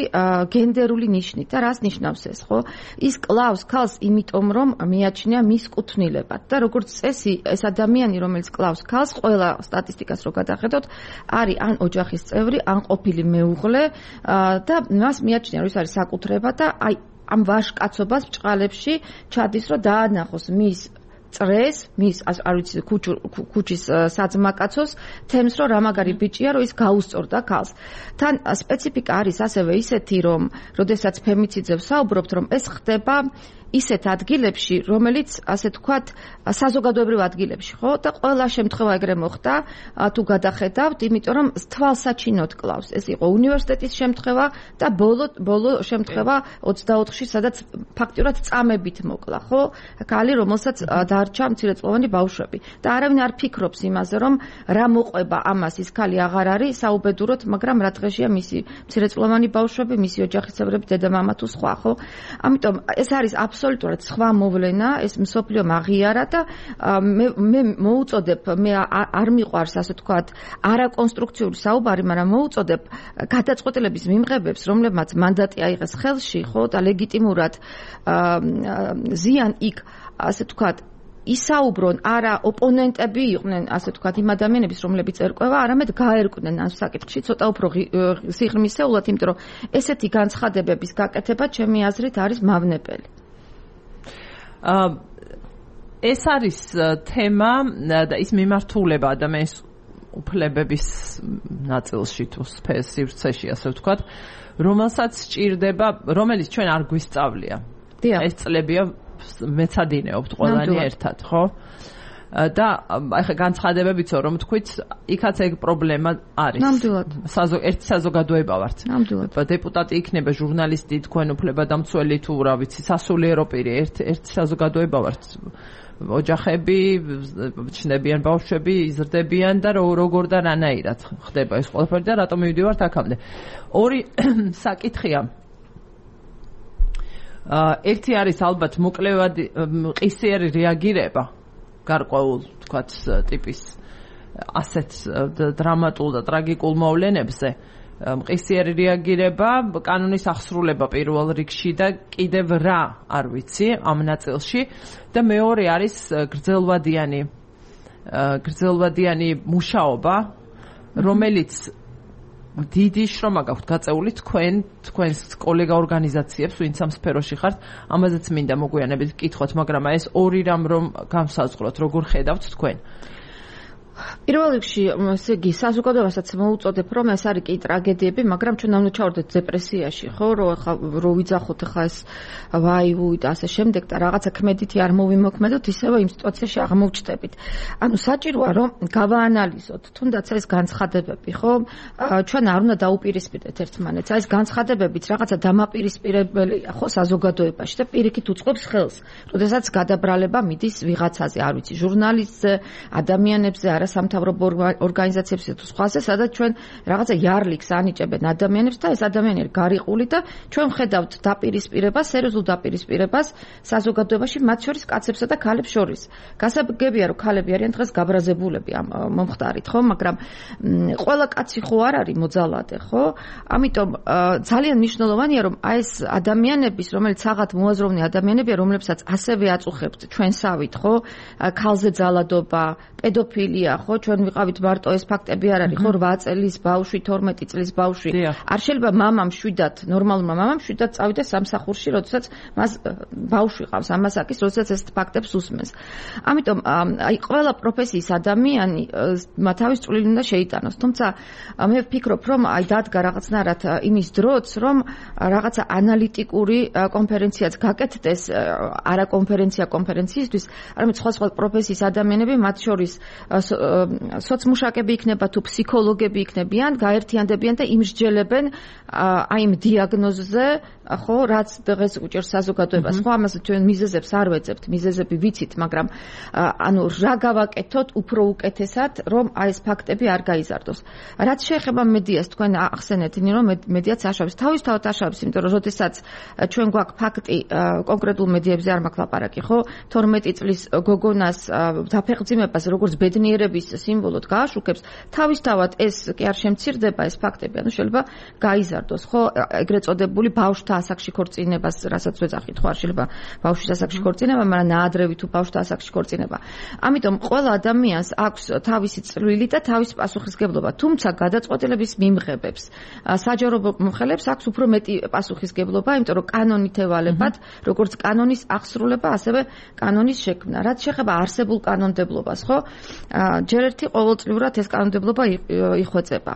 Speaker 2: გენდერული ნიშნით და რას ნიშნავს ეს, ხო? ის კლავს ქალს იმიტომ, რომ მიაჩნია მის კუთვნილებად და როგორც წესი, ეს ადამიანი, რომელიც კლავს ქალს, ყველა სტატისტიკას რო გადახედოთ, არის ან ოჯახის წევრი, ან ყოფილი მეუღლე და მას მიაჩნია, რომ ის არის საკუთრება და აი ამ ვაჟკაცობას ბჭყალებში ჩადის, რომ დაანახოს მის წრეს, მის არ ვიცი ქუჩის საძმაკაცოს თემს რომ რა მაგარი ბიჭია რომ ის გაუსწორდა ქალს. თან სპეციფიკა არის ასევე ისეთი რომ როდესაც ფემიციძებს საუბრობთ რომ ეს ხდება ისეთ ადგილებში, რომელიც ასე თქვათ საზოგადოებრივ ადგილებში, ხო? და ყველა შემთხვევა ეგრე მოხდა, თუ გადახედავთ, იმიტომ რომ თვალსაჩინოდ კლავს. ეს იყო უნივერსიტეტის შემთხვევა და ბოლო ბოლო შემთხვევა ოცდაოთხში, სადაც ფაქტიურად წამებით მოკლა, ხო? ქალი, რომელსაც დარჩა მცირეწლოვანი ბავშვები. და არავინ არ ფიქრობს იმაზე, რომ რა მოყვება ამას ის ქალი აღარ არის საუბედუროდ, მაგრამ რა დღეშია მისი მცირეწლოვანი ბავშვები, მისი ოჯახის წევრები, დედა-მამა თუ სხვა, ხო? ამიტომ ეს არის აბსოლუტურად სხვა მოვლენა, ეს მსოფლიო აღიარა და მე მე მოუწოდებ, მე არ მიყვარს ასე თქვათ არაკონსტრუქციული საუბარი, მაგრამ მოუწოდებ გადაწყვეტილების მიმღებებს, რომლებმაც მანდატი აიღეს ხელში, ხო, და ლეგიტიმურად ზიან იქ ასე თქვათ ისაუბრონ არა ოპონენტები იყვნენ ასე თქვათ იმ ადამიანების რომლებიც ერკვევა, არამედ გაერკვნენ ამ საკითხში ცოტა უფრო სიღრმისეულად, იმიტომ რომ ესეთი განცხადებების გაკეთება ჩემი აზრით არის მავნებელი.
Speaker 1: ეს არის თემა და ის მიმართულება ადამიანის უფლებების ნაწილში თუ სივრცეში ასე ვთქვათ, რომელსაც სჭირდება, რომელიც ჩვენ არ გვისწავლია. ეს წლებია მეცადინეობთ ყველანი ერთად, ხო? და ახლა განცხადებებიცო რომ თქვით, იქაც ეგ პრობლემა არის.
Speaker 2: ნამდვილად.
Speaker 1: ერთი საზოგადოება ვართ.
Speaker 2: ნამდვილად.
Speaker 1: დეპუტატი იქნება, ჟურნალისტი, თქვენ უფლებადამცველი თუ რა ვიცი, სასულიერო პირი, ერთ ერთი საზოგადოება ვართ. ოჯახები, ჩნდებიან ბავშვები, იზრდებიან და როგორ და რანაირად ხდება ეს ყველაფერი და რატომ მივიდივართ აქამდე. ორი საკითხია. ერთი არის ალბათ მოკლევადი ყისიერი რეაგირება გარკვეულ თქვათ ტიპის ასეთ დრამატულ და ტრაგიკულ მოვლენებზე. მყისიერი რეაგირება, კანონის აღსრულება პირველ რიგში და კიდევ რა არ ვიცი ამ ნაწილში და მეორე არის გრძელვადიანი გრძელვადიანი მუშაობა, რომელიც დიდი შრომა გაქვთ გაწეული თქვენ თქვენს კოლეგა ორგანიზაციებს, ვინც ამ სფეროში ხართ, ამაზეც მინდა მოგვიანებით გკითხოთ, მაგრამ ეს ორი რამ რომ განსაზღვროთ, როგორ ხედავთ თქვენ?
Speaker 2: პირველ რიგში, ესე იგი, საზოგადოებასაც მოუწოდებ, რომ ეს არის კი ტრაგედიები, მაგრამ ჩვენ უნდა ჩავარდეთ დეპრესიაში, ხო, რომ ახლა რო ვიძახოთ ახლა ეს ვაი-ვუი და ასე შემდეგ და რაღაცა ქმედითი არ მოვიმოქმედოთ, ისევე იმ სიტუაციაში აღმოვჩნდებით. ანუ საჭიროა რომ გავაანალიზოთ, თუნდაც ეს განცხადებები, ხო? ჩვენ არ უნდა დაუპირისპირდეთ ერთმანეთს. აი ეს განცხადებებიც რაღაცა დამაპირისპირებელია, ხო, საზოგადოებაში და პირიქით უწყობს ხელს, როდესაც გადაბრალება მიდის ვიღაცაზე, არ ვიცი, ჟურნალისტზე, ადამიანებზე, სამთავრობო ორგანიზაციებს თუ სხვაზე, სადაც ჩვენ რაღაცა იარლიქს ანიჭებენ ადამიანებს და ეს ადამიანები გარიყული და ჩვენ ვხედავთ დაპირისპირებას, სერიოზულ დაპირისპირებას საზოგადოებაში, მათ შორის კაცებსა და ქალებს შორის. გასაგებია, რომ ქალები არიან დღეს გაბრაზებულები ამ მომხდარით, ხო, მაგრამ ყველა კაცი ხო არ არის მოძალადე, ხო? ამიტომ ძალიან მნიშვნელოვანია, რომ აი ეს ადამიანების, რომელიც საღად მოაზროვნე ადამიანებია, რომლებსაც ასევე აწუხებთ ჩვენსავით, ხო? ქალზე ძალადობა, პედოფილია, ხო, ჩვენ ვიყავით მარტო ეს ფაქტები არ არის, ხო, რვა წლის ბავშვი, თორმეტი წლის ბავშვი. არ შეიძლება მამამ შვიდად, ნორმალურმა მამამ შვიდად წავიდეს სამსახურში, როდესაც მას ბავშვი ყავს, ამასაკის, როდესაც ეს ფაქტებს უსმენს. ამიტომ აი ყველა პროფესიის ადამიანი თავის წვლილი უნდა შეიტანოს. თუმცა მე ვფიქრობ, რომ აი დადგა რაღაცნაირად იმის დროც, რომ რაღაცა ანალიტიკური კონფერენციაც გაკეთდეს, არა კონფერენცია კონფერენციისთვის, არამედ სხვა სხვა პროფესიის ადამიანები, მათ შორის სოციმუშაკები იქნება თუ ფსიქოლოგები იქნებიან, გაერთიანდებიან და იმსჯელებენ აი იმ დიაგნოზზე, ხო, რაც დღეს უჭერს საზოგადოებას. ხო, ამაზე ჩვენ მიზეზებს არ ვეძებთ, მიზეზები ვიცით, მაგრამ ანუ რა გავაკეთოთ უფრო უკეთესად, რომ აი ეს ფაქტები არ გაიზარდოს. რაც შეეხება მედიას, თქვენ ახსენეთ, რომ მედიაც აშავებს, თავისთავად აშავებს, იმიტომ რომ როდესაც ჩვენ გვაქვს ფაქტი კონკრეტულ მედიებზე არ მაქვს ლაპარაკი, ხო, თორმეტი წლის გოგონას დაფეხმძიმებას, როგორც ბედნიერების სიმბოლოდ გააშუქებს, თავისთავად ეს კი არ შემცირდება ეს ფაქტები, ანუ შეიძლება გაიზარდოს, ხო, ეგრეთ წოდებული ბავშვთა ასაკში ქორწინებას, რასაც ვეძახით, ხო, არ შეიძლება ბავშვის ასაკში ქორწინება, მაგრამ ნაადრევი თუ ბავშვთა ასაკში ქორწინება. ამიტომ ყველა ადამიანს აქვს თავისი წვლილი და თავისი პასუხისგებლობა, თუმცა გადაწყვეტილების მიმღებებს, საჯარო მომხელებს აქვს უფრო მეტი პასუხისგებლობა, იმიტომ რომ კანონით ევალებათ, როგორც კანონის აღსრულება, ასევე კანონის შექმნა. რაც შეეხება არსებულ კანონმდებლობას, ხო? ჯერ ერთი ყოველწლიურად ეს კანონმდებლობა იხვეწება.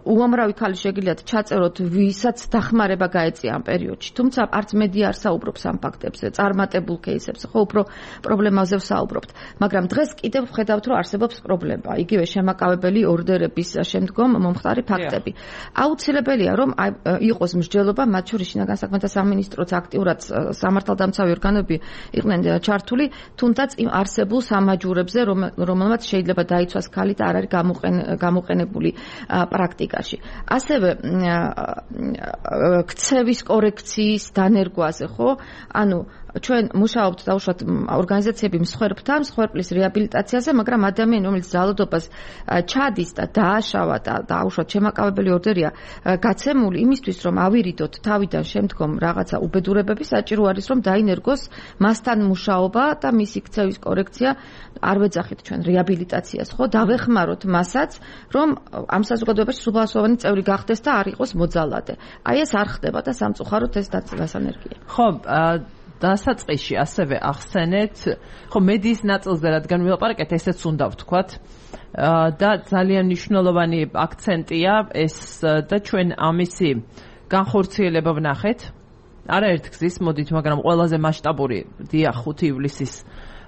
Speaker 2: უამრავი ქალი შეგიძლიათ ჩაწეროთ, ვისაც დახმარება გაეწია ამ პერიოდში, თუმცა არც მედია არ საუბრობს ამ ფაქტებზე, წარმატებულ кейსებზე, ხო, უფრო პრობლემაზე ვსაუბრობთ. მაგრამ დღეს კიდევ ვხედავთ, რომ არსებობს პრობლემა, იგივე შემაკავებელი ორდერების შემდგომ მომხდარი ფაქტები. აუცილებელია, რომ იყოს მსჯელობა, მათ შორის შინაგან საქმეთა სამინისტროც აქტიურად სამართალდამცავი ორგანოები იყვნენ ჩართული, თუნდაც იმ არსებულ სამაჯურებზე, რომელმაც შეიძლება დაიცვას ქალი და არ არის გამოყენებული პრაქტიკაში. ასევე ქცევის კორექციის დანერგვაზე, ხო? ანუ ჩვენ მუშაობთ დაუშვათ ორგანიზაციები მსხვერპლთან, მსხვერპლის რეაბილიტაციაზე, მაგრამ ადამიანი, რომელიც ძალადობას ჩადის და დააშავა და დაუშვათ შემაკავებელი ორდერია გაცემული იმისთვის, რომ ავირიდოთ თავიდან შემდგომ რაღაცა უბედურებები, საჭირო არის, რომ დაინერგოს მასთან მუშაობა და მისი ქცევის კორექცია, არ ვეძახით ჩვენ რეაბილიტაციას, ხო? დავეხმაროთ მასაც, რომ ამ საზოგადოებაში სრულასოვანი წევრი გახდეს და არ იყოს მოძალადე. აი ეს არ ხდება და სამწუხაროდ ეს დასანერგია.
Speaker 1: ხო, დასაწყისში ასევე ახსენეთ, ხო, მედიის ნაწილზე რადგან ვილაპარაკეთ, ესეც უნდა ვთქვათ და ძალიან მნიშვნელოვანი აქცენტია ეს და ჩვენ ამისი განხორციელება ვნახეთ. არაერთ გზის მოდით, მაგრამ ყველაზე მასშტაბური დიახ ხუთი ივლისის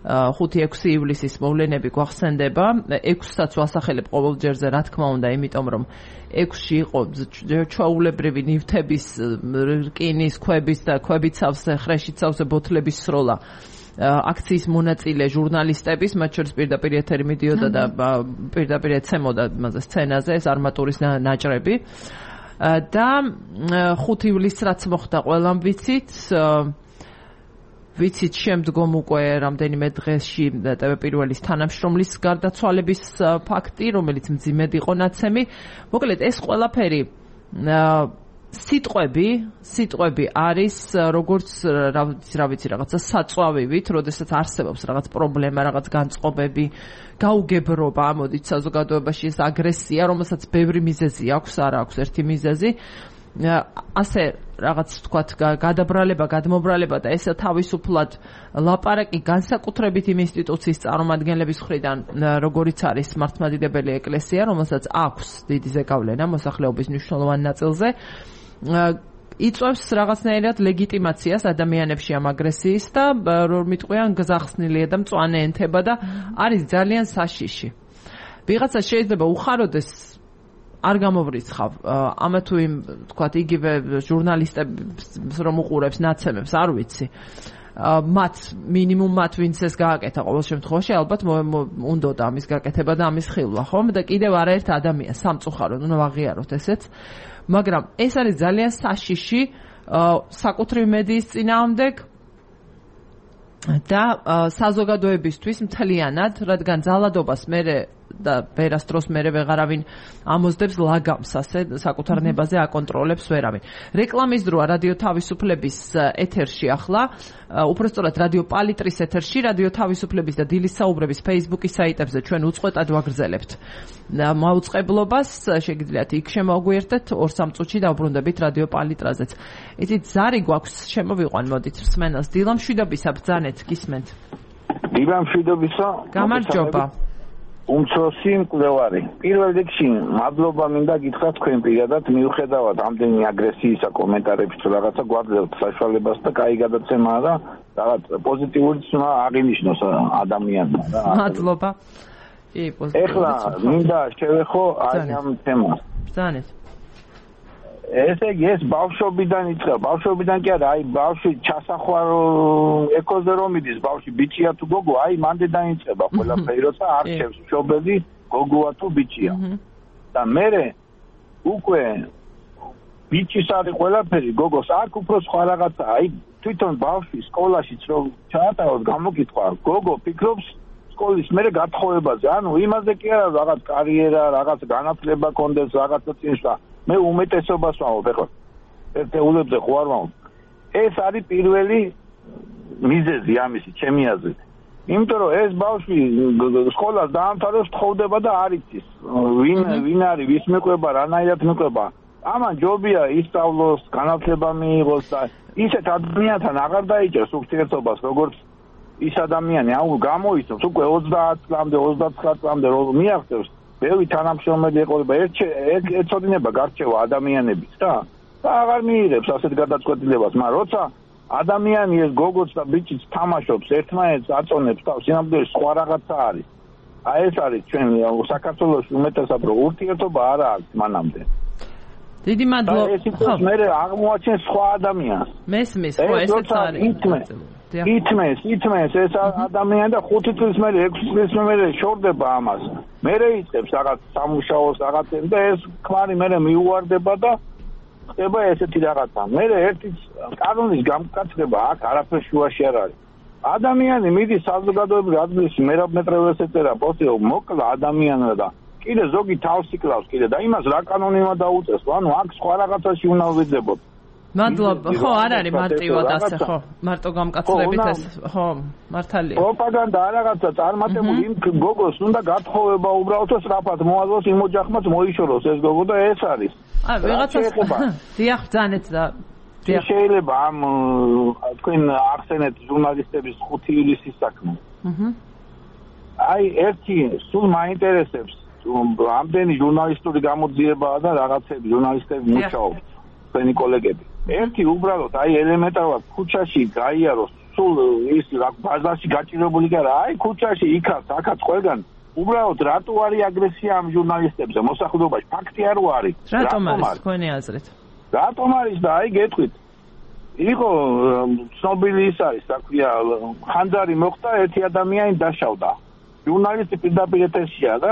Speaker 1: ხუთი ექვსი ივლისის მოვლენები გვახსენდება. ექვსსაც ვასახელებ ყოველჯერზე, რა თქმა უნდა, იმიტომ რომ ექვსში იყო ჩვეულებრივი ნივთების, რკინის, ქვების და ქვებიცავსე, ხრეშიცავსე ბოთლების სროლა. აქციის მონაწილე ჟურნალისტების, მათ შორის პირდაპირ ეთერი მიდიოდა და პირდაპირ ეცემოდა მასე სცენაზე ეს არმატურის ნაჭრები. და ხუთი ივლისს რაც მოხდა ყველამ ვიცით, ვიცით შემდგომ უკვე რამდენიმე დღეში ტე ვე პირველის თანამშრომლის გარდაცვალების ფაქტი, რომელიც მძიმედ იყო ნაცემი. მოკლედ ეს ყველაფერი სიტყვები, სიტყვები არის როგორც რა ვიცი რაღაცა საწვავივით, როდესაც არსებობს რაღაც პრობლემა, რაღაც განწყობები, გაუგებრობა, ამოდით საზოგადოებაში ეს აგრესია, რომელსაც ბევრი მიზეზი აქვს, არ აქვს ერთი მიზეზი. ასე რაღაც თქვათ გადაბრალება, გადმობრალება და ესე თავისუფლად ლაპარაკი განსაკუთრებით იმ ინსტიტუციის წარმომადგენლების მხრიდან, როგორიც არის მართლმადიდებელი ეკლესია, რომელსაც აქვს დიდი ზეგავლენა მოსახლეობის მნიშვნელოვან ნაწილზე, იწვევს რაღაცნაირად ლეგიტიმაციას ადამიანებში ამ აგრესიის და რომ მიტყვიან გზახსნილია და მწვანე ენთება და არის ძალიან საშიში. ვიღაცა შეიძლება უხაროდეს არ გამოვრიცხავ ამა თუ იმ თქვათ იგივე ჟურნალისტებს რომ უყურებს ნაცემებს არ ვიცი მათ მინიმუმ მათ ვინც ეს გააკეთა ყოველ შემთხვევაში ალბათ უნდა და ამის გაკეთება და ამის ხილვა ხომ და კიდევ არაერთ ადამიანს სამწუხაროდ უნდა ვაღიაროთ ესეც მაგრამ ეს არის ძალიან საშიში საკუთრივ მედიის წინააღმდეგ და საზოგადოებისთვის მთლიანად რადგან ძალადობას მე და ვერასდროს მე ვეღარავინ ამოძდებს ლაგამს ასე საკუთარ ნებაზე აკონტროლებს ვერავინ. რეკლამის დროა რადიო თავისუფლების ეთერში ახლა, უпростоრად რადიო პალიტრის ეთერში, რადიო თავისუფლების და დილის საუბრების Facebook-ის საიტებზე ჩვენ უწყვეტად ვაგრძელებთ მაუწყებლობას, შეგიძლიათ იქ შემოგვიერთდეთ ორ სამ წუთში დავბრუნდებით რადიო პალიტრაზეც. იცით ზარი გვაქვს შემოვიყვან მოდით მსმენელს დილამშვიდობისა ბრძანეთ გისმენთ.
Speaker 4: დილამშვიდობისა
Speaker 1: გამარჯობა.
Speaker 4: უმცროსი მკვლევარი. პირველ რიგში მადლობა მინდა გითხრათ თქვენ პირადად მიუხედავად ამდენი აგრესიისა კომენტარების თუ რაღაცა გვაძლევთ საშუალებას და კაი გადაცემაა და რაღაც პოზიტიური ცნობა აღინიშნოს ადამიანმა რა.
Speaker 1: მადლობა. კი, პოზიტიური.
Speaker 4: ეხლა მინდა შევეხო აი ამ თემას.
Speaker 1: ბრძანეთ.
Speaker 4: ესე იგი ეს ბავშვობიდან იწყება. ბავშვობიდან კი არა, აი ბავშვი ჩასახვარ ეკოზე რომ მიდის, ბავშვი ბიჭია თუ გოგო, აი მანდედან იწყება ყველაფერი, როცა არჩევს მშობელი გოგოა თუ ბიჭია. და მერე უკვე ბიჭის არის ყველაფერი, გოგოს აქ უფრო სხვა რაღაცა. აი თვითონ ბავშვი სკოლაშიც რომ ჩაატაროს გამოკითხვა, გოგო ფიქრობს სკოლის მე გათხოვებაზე. ანუ იმაზე კი არა რაღაც კარიერა, რაღაც განათლება კონდეს, რაღაცა წინსვლა. მე უმეტესობას ვამბობ ეხლა. ერთეულებზე ხო არ ვამბობ. ეს არის პირველი მიზეზი ამისი, ჩემი აზრით. იმიტომ რომ ეს ბავშვი სკოლას დაამთავრებს, თხოვდება და არ იცის ვინ ვინ არის, ვის მეყვება, რანაირად მეყვება. ამან ჯობია ისწავლოს, განათლება მიიღოს და ისეთ ადამიანთან აღარ დაიჭერს ურთიერთობას, როგორც ის ადამიანი, აუ გამოიცნობს უკვე ოცდაათ წლამდე, ოცდათვრამეტ წლამდე რომ მიაღწევს, ბევრი თანამშრომელი ეყოლება, ეცოდინება გარჩევა ადამიანების და და აღარ მიიღებს ასეთ გადაწყვეტილებას, მაგრამ როცა ადამიანი ეს გოგოც და ბიჭიც თამაშობს, ერთმანეთს აწონებს თავს, სინამდვილეში სხვა რაღაცა არის. აი ეს არის ჩვენ საქართველოს უმეტესად რომ ურთიერთობა არა აქვს მანამდე.
Speaker 1: დიდი მადლობა.
Speaker 4: ეს ის მე აღმოაჩენ სხვა ადამიანს.
Speaker 1: მესმის, ხო, ესეც არის.
Speaker 4: ითმეს, ითმეს ეს ადამიანი და ხუთი წლის მერე, ექვსი წლის მერე შორდება ამას. მერე იწყებს რაღაც სამუშაოს, რაღაც და ეს ქმარი მერე მიუვარდება და ხდება ესეთი რაღაცა. მერე ერთი კანონის გამკაცრება აქ არაფერ შუაში არ არის. ადამიანი მიდის საზოგადოებრივ ადგილში, მერაბ-მეტრეველს ეწერა პოსტი, მოკლა ადამიანმა და კიდე ზოგი თავს იკლავს კიდე და იმას რა კანონიმა დაუწეს. ანუ აქ სხვა რაღაცაში უნდა ვიძებოთ.
Speaker 1: მადლობა. ხო, არ არის მარტივად ასე, ხო. მარტო გამკაცრებით ეს, ხო, მართალია.
Speaker 4: პროპაგანდა რაღაცა წარმატებული იმ გოგოს უნდა გათხოვება უბრალოდ სწრაფად მოაძლოს იმ ოჯახმაც მოიშოროს ეს გოგო და ეს არის.
Speaker 1: აი, ვიღაცას დიახ, ძანეთ და
Speaker 4: შეიძლება ამ თქვენ ახსენეთ ჟურნალისტების ხუთი ივლისის საქმე. აჰა. აი, ერთი სულ მაინტერესებს ამდენი ჟურნალისტური გამოძიებაა და რაღაცები ჟურნალისტები მუშაობთ, თქვენი კოლეგები. ერთი უბრალოდ აი ელემენტარულად ქუჩაში გაიაროს, სულ ის ბაზარში გაჭირებული კი არა, აი ქუჩაში იქაც, აქაც ყველგან უბრალოდ რატო არის აგრესია ამ ჟურნალისტებზე მოსახლეობაში? ფაქტი არ არის.
Speaker 1: რატომ არის თქვენი აზრით?
Speaker 4: რატომ არის და აი გეტყვით. იყო ცნობილი ის არის, რა ქვია, ხანძარი მოხდა, ერთი ადამიანი დაშავდა. ჟურნალისტი პირდაპირ ეთერშია და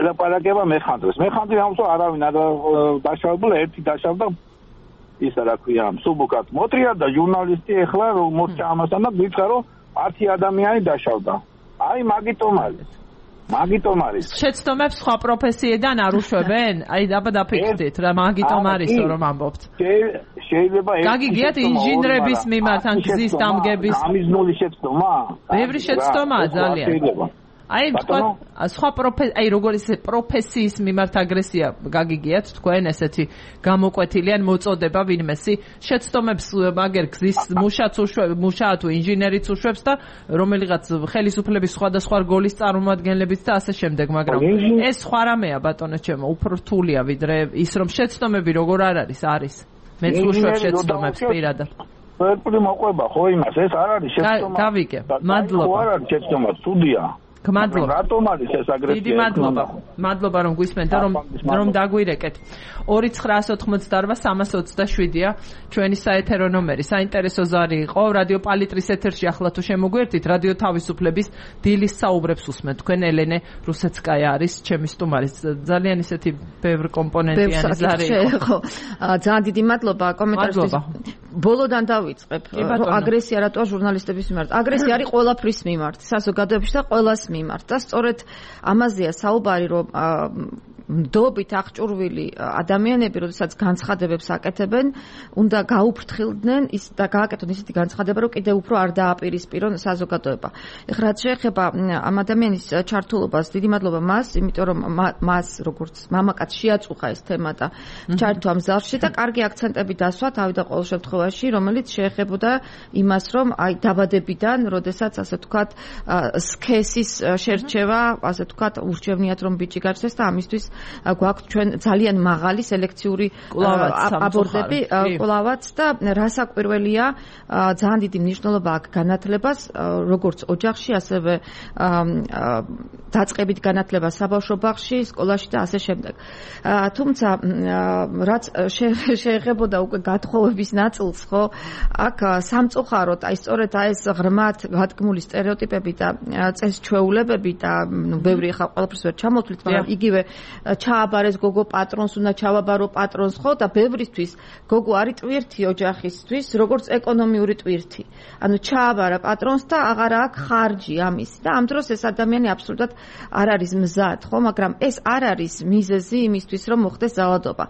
Speaker 4: ელაპარაკება მეხანდრეს. მეხანდრი ამსო არავინ არ დაშავებულა, ერთი დაშავდა ისა რა ქვია, სუბუკად მოტრია და ჟურნალისტი ეხლა რომ მოსწა ამასთან და გითხრა რომ ათი ადამიანი დაშავდა. აი მაგიტომ არის. მაგიტომ არის.
Speaker 1: შეცდომებს სხვა პროფესიიდან არ უშვებენ? აი აბა დაფიქრდით რა მაგიტომ არის რომ ამბობთ.
Speaker 4: შეიძლება ეს
Speaker 1: გაგიგიათ ინჟინრების მიმართ ან გზის დამგების
Speaker 4: ამიზნული შეცდომა?
Speaker 1: ბევრი შეცდომაა ძალიან. აი თქვა სხვა პროფესია, აი როგორი პროფესიის მიმართ აგრესია გაგიგიათ თქვენ ესეთი გამოკვეთილი ან მოწოდება ვინმესი შეცდომებს მაგერ გზის მუშაც უშვებს, მუშა თუ ინჟინერიც უშვებს და რომელიღაც ხელისუფლების სხვადასხვა რგოლის წარმომადგენლებიც და ასე შემდეგ, მაგრამ ეს სხვა რამეა ბატონო ჩემო, უფრო რთულია ვიდრე ის რომ შეცდომები როგორ არ არის, არის. მეც უშვებ შეცდომებს პირადად.
Speaker 4: ერთი მოყვება ხო იმას, ეს არ არის შეცდომა.
Speaker 1: გავიგე. მადლობა.
Speaker 4: ხო არ არის შეცდომა, სტუდია.
Speaker 1: მადლობა.
Speaker 4: რატომ არის ეს აგრესია?
Speaker 1: დიდი მადლობა. მადლობა რომ გვისმენთ და რომ რომ დაგვირეკეთ. ორი ცხრაასი ოცდაოთხ სამას ოცდაშვიდია ჩვენი საეთერო ნომერი. საინტერესო ზარი იყო რადიო პალიტრის ეთერში ახლა თუ შემოგვერთით რადიო თავისუფლების დილის საუბრებს უსმენთ. თქვენ ელენე რუსეცკაია არის ჩემი სტუმარი. ძალიან ისეთი ბევრი კომპონენტიანი ზარი
Speaker 2: იყო. ძალიან დიდი მადლობა კომენტარისთვის. ბოლოდან დავიწყებ. აგრესია რატოა ჟურნალისტების მიმართ? აგრესია არის ყველაფრის მიმართ, საზოგადოებაში და ყველას მიმართ და სწორედ ამაზეა საუბარი რომ მდობით აღჭურვილი ადამიანები, როდესაც განცხადებებს აკეთებენ, უნდა გაუფრთხილდნენ ის და გააკეთონ ისეთი განცხადება, რომ კიდევ უფრო არ დააპირისპირონ საზოგადოება. ეხლა რაც შეეხება ამ ადამიანის ჩართულობას, დიდი მადლობა მას, იმიტომ რომ მას როგორც მამაკაც შეაწუხა ეს თემა და ჩართვა ამ ზარში და კარგი აქცენტები დასვა თავი და ყოველ შემთხვევაში, რომელიც შეეხებოდა იმას, რომ აი დაბადებიდან, როდესაც ასე ვთქვათ, სქესის შერჩევა, ასე ვთქვათ, ურჩევნიათ რომ ბიჭი გაჩნდეს და ამისთვის გვაქვს ჩვენ ძალიან მაღალი სელექციური აბორტები კლავაც და რასაკვირველია ძალიან დიდი მნიშვნელობა აქვს განათლებას როგორც ოჯახში ასევე დაწყებით განათლება საბავშვო ბაღში სკოლაში და ასე შემდეგ თუმცა რაც შეეხებოდა უკვე გათხოვების ნაწილს ხო აქ სამწუხაროდ აი სწორედ აი ეს ღრმად გადგმული სტერეოტიპები და წესჩვეულებები და ნუ ბევრი ხა ყველაფერს ვერ ჩამოთვლით მაგრამ იგივე ჩააბარეს გოგო პატრონს, უნდა ჩავაბარო პატრონს, ხო და ბევრისთვის გოგო არის ტვირთი ოჯახისთვის, როგორც ეკონომიური ტვირთი. ანუ ჩააბარა პატრონს და აღარ აქვს ხარჯი ამის და ამ დროს ეს ადამიანი აბსოლუტურად არ არის მზად, ხო, მაგრამ ეს არ არის მიზეზი იმისთვის, რომ მოხდეს ძალადობა.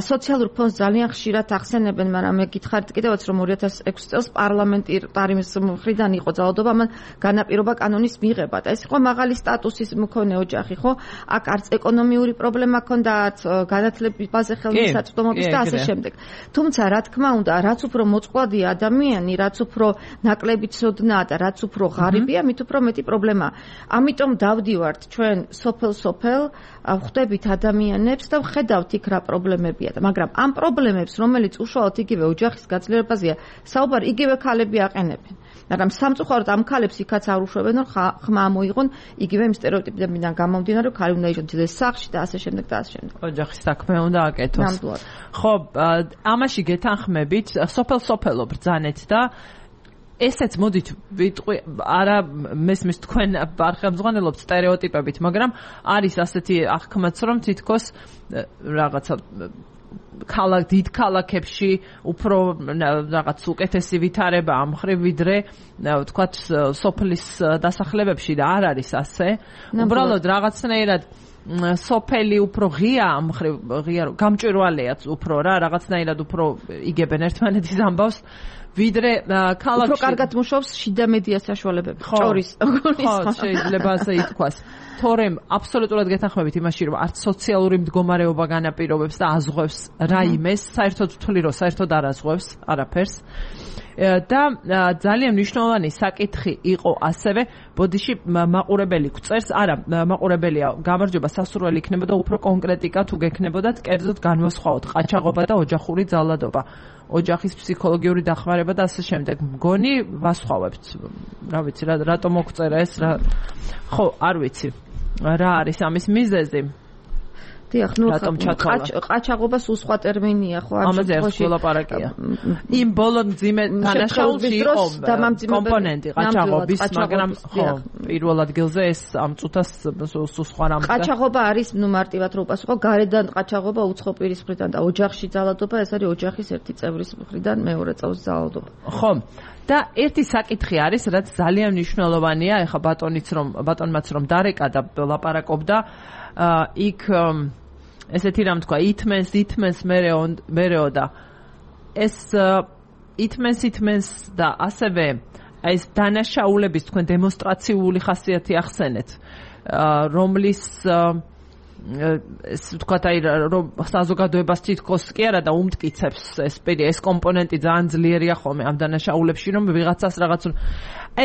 Speaker 2: სოციალურ ფონდს ძალიან ხშირად ახსენებენ, მაგრამ მე გითხარით კიდევაც, რომ ორი ათას ექვსი წელს პარლამენტის მხრიდან იყო ძალადობა, ამან განაპირობა კანონის მიღება და ეს იყო მაღალი სტატუსის მქონე ოჯახი, ხო? აქ არც ეკონომიური პრობლემა ჰქონდათ, განათლებაზე ხელმისაწვდომობის და ასე შემდეგ. თუმცა, რა თქმა უნდა, რაც უფრო მოწყვლადია ადამიანი, რაც უფრო ნაკლები ცოდნა და რაც უფრო ღარიბია, მით უფრო მეტი პრობლემაა. ამიტომ დავდივართ ჩვენ სოფელ-სოფელ, ვხვდებით ადამიანებს და ვხედავთ იქ რა პრობლემებია და მაგრამ ამ პრობლემებს, რომელიც უშუალოდ იგივე ოჯახის გაძლიერებაზეა, საუბარი იგივე ქალები აყენებენ. მაგრამ სამწუხაროდ ამ ქალებს იქაც არ უშვებენ, რომ ხმა მოიღონ იგივე იმ სტერეოტიპებიდან გამომდინარე, რომ ქალი უნდა იჯდეს სახლში და ასე შემდეგ და ასე შემდეგ.
Speaker 1: ოჯახის საქმე უნდა აკეთოს. ხო, ამაში გეთანხმებით, სოფელ-სოფელო ბრძანეთ და ესეც მოდით ვიტყვი, არა მესმის თქვენ არხელმძღვანელობთ სტერეოტიპებით, მაგრამ არის ასეთი აღქმაც, რომ თითქოს რაღაცა ქალაქ დიდ ქალაქებში უფრო რაღაც უკეთესი ვითარება ამ ხრივ ვიდრე ვთქვათ სოფლის დასახლებებში და არ არის ასე. უბრალოდ რაღაცნაირად სოფელი უფრო ღია ამ ხრივ ღია გამჭვირვალეა უფრო რა რაღაცნაირად უფრო იგებენ ერთმანეთის ამბავს ვიდრე ქალაქში
Speaker 2: უფრო კარგად მუშაობს შიდა მედია საშუალებები ჭორის
Speaker 1: ხო შეიძლება ასე ითქვას თორემ აბსოლუტურად გეთანხმებით იმაში რომ არც სოციალური მდგომარეობა განაპირობებს და აზღვევს რაიმეს საერთოდ ვთვლი რომ საერთოდ არ აზღვევს არაფერს და ძალიან მნიშვნელოვანი საკითხი იყო ასევე ბოდიში მაყურებელი გვწერს არა მაყურებელია გამარჯობა სასურველი იქნებოდა უფრო კონკრეტიკა თუ გექნებოდათ კერძოდ განვასხვაოთ ყაჩაღობა და ოჯახური ძალადობა ოჯახის ფსიქოლოგიური დახმარება და ასე შემდეგ მგონი ვასხვავებთ რა ვიცი რა რატომ მოგწერა ეს რა ხო არ ვიცი რა არის ამის მიზეზი
Speaker 2: დიახ, ნუ ყაჩაღობა სულ სხვა ტერმინია, ხო?
Speaker 1: ამაზე არის ლაპარაკია. იმ ბოლო მძიმე დანაშაულში იყო კომპონენტი ყაჩაღობის, მაგრამ ხო, პირველ ადგილზე ეს ამ წუთას სულ სხვა რამე.
Speaker 2: ყაჩაღობა არის, ნუ მარტივად რო უპასუხო, გარედან ყაჩაღობა უცხო პირის მხრიდან და ოჯახში ძალადობა, ეს არის ოჯახის ერთი წევრის მხრიდან მეორე წევრის ძალადობა.
Speaker 1: ხო. და ერთი საკითხი არის, რაც ძალიან მნიშვნელოვანია, ეხა ბატონიც რომ ბატონმაც რომ დარეკა და ლაპარაკობდა, იქ ესეთი რამ თქვა, ითმენს, ითმენს მერეო და ეს ითმენს, ითმენს და ასევე ეს დანაშაულების თქვენ დემონსტრაციული ხასიათი ახსენეთ, რომლის ეს თქვა აი რომ საზოგადოებას თითქოს კი არა და უმტკიცებს ეს ეს კომპონენტი ძალიან ძლიერია ხოლმე ამ დანაშაულებში რომ ვიღაცას რაღაც